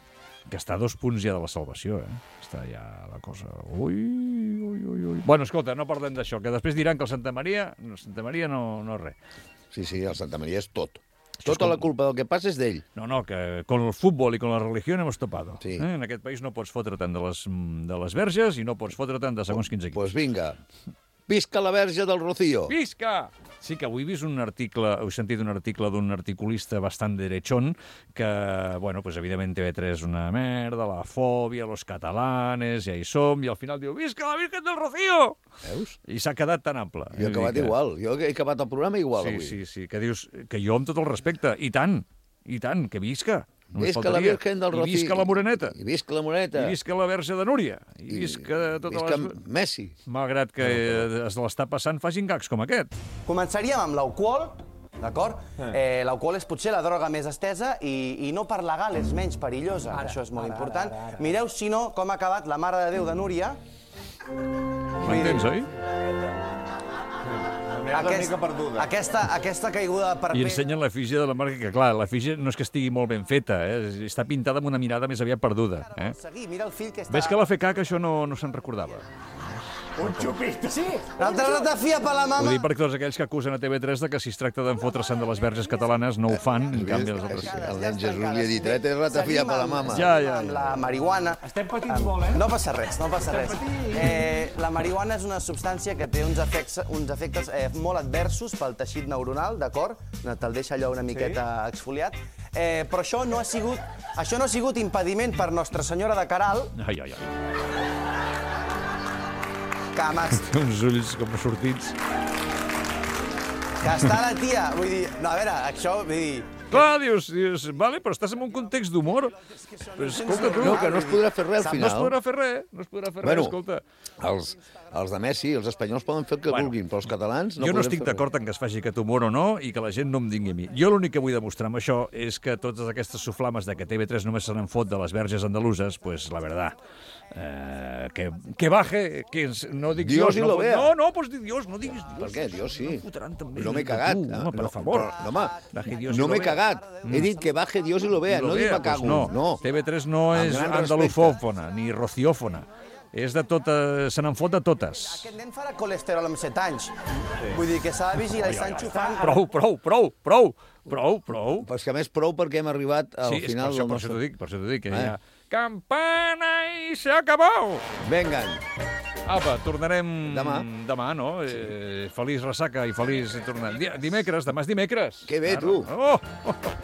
Que està a dos punts ja de la salvació, eh? Està ja la cosa... Ui, ui, ui, ui. Bueno, escolta, no parlem d'això, que després diran que el Santa Maria... No, Santa Maria no, no res. Sí, sí, el Santa Maria és tot. Això és Tota com- la culpa del que passa és d'ell. No, no, que con el futbol i con la religió hemos topado. Sí. Eh? En aquest país no pots fotre tant de les, de les verges i no pots fotre tant de segons quins equips. Doncs pues vinga, visca la verge del Rocío. Visca! Sí, que avui he vist un article, heu sentit un article d'un articulista bastant derechón, que, bueno, pues evidentment T V tres és una merda, la fòbia, los catalanes, ja hi som, i al final diu, visca la Virgen del Rocío! Veus? I s'ha quedat tan ample. Jo he acabat que... igual. Jo he acabat el programa igual, sí, avui. Sí, sí, que dius que jo amb tot el respecte, i tant, i tant, que visca. Visca la Virgen del Rocío. I visca la Moreneta. I visca la Moreneta. I visca la Verge de Núria. I visca tota visca les... Messi. Malgrat que es l'està passant, facin gags com aquest. Començaríem amb l'alcohol, d'acord? Eh, l'alcohol és potser la droga més estesa i, i no per legal és menys perillosa. Ara, Això és molt ara, important. Ara, ara, ara. Mireu, si no, com ha acabat la Mare de Déu de Núria. M'entens, oi? Aquest, aquesta, aquesta caiguda per I ensenyen l'efígie de la marca, que clar, l'efígie no és que estigui molt ben feta, eh? Està pintada amb una mirada més aviat perduda. Eh? Mira el fill que està... Ves que la F K que això no, no se'n recordava. Un xupito. Sí, l'altre ratafia per la mama. Ho dic perquè tots aquells que acusen a T V tres de que si es tracta d'enfotre-se'n de les verges catalanes no ho fan, en canvi els altres... El nen Jesús li ha dit, eh, té ratafia per la mama. Ja, ja, ja. La marihuana... Estem patint molt, eh? No passa res, no passa res. Eh, la marihuana és una substància que té uns efectes, uns efectes eh, molt adversos pel teixit neuronal, d'acord? Te'l deixa allò una miqueta sí. exfoliat. Eh, però això no ha sigut, això no ha sigut impediment per Nostra Senyora de Caral. Ai, ai, ai. Cames. Té uns ulls com sortits. Que està la tia, vull dir... No, a veure, això, vull dir... Clar, dius, dius, vale, però estàs en un context d'humor. Però escolta, tu... No, que no es podrà fer res al final. No es podrà fer res, no es podrà fer bueno, res, escolta. Els, els de Messi, els espanyols poden fer el que bueno, vulguin, però els catalans no jo no estic fer d'acord en que es faci aquest humor o no i que la gent no em dingui a mi. Jo l'únic que vull demostrar amb això és que totes aquestes soflames de que T V tres només se n'en fot de les verges andaluses, pues la verdad, eh, que, que baje, que no dic Dios, Dios no, no, no, no, pues di Dios, no diguis Dios. Per què? Dios sí. No fotran també. No m'he cagat. Tu, home, per favor. No, home, no m'he cagat. He dit que baje Dios y lo vea, no dic me cago. Pues no, no. T V tres no és andalufòfona ni rociòfona. És de tota... Se n'en fot de totes. Aquest nen farà colesterol amb set anys. Vull dir que s'ha de vigilar i està enxufant... Prou, prou, prou, prou, prou, prou. Però és que a més prou perquè hem arribat al sí, final del nostre... Sí, per això t'ho dic, per això t'ho dic, que eh? ja... Campana i se acabó! Vengan. Apa, tornarem... Demà. Demà, no? Eh, feliç ressaca i feliç tornant. Dimecres, demà és dimecres. Que bé, tu. Oh, oh, oh.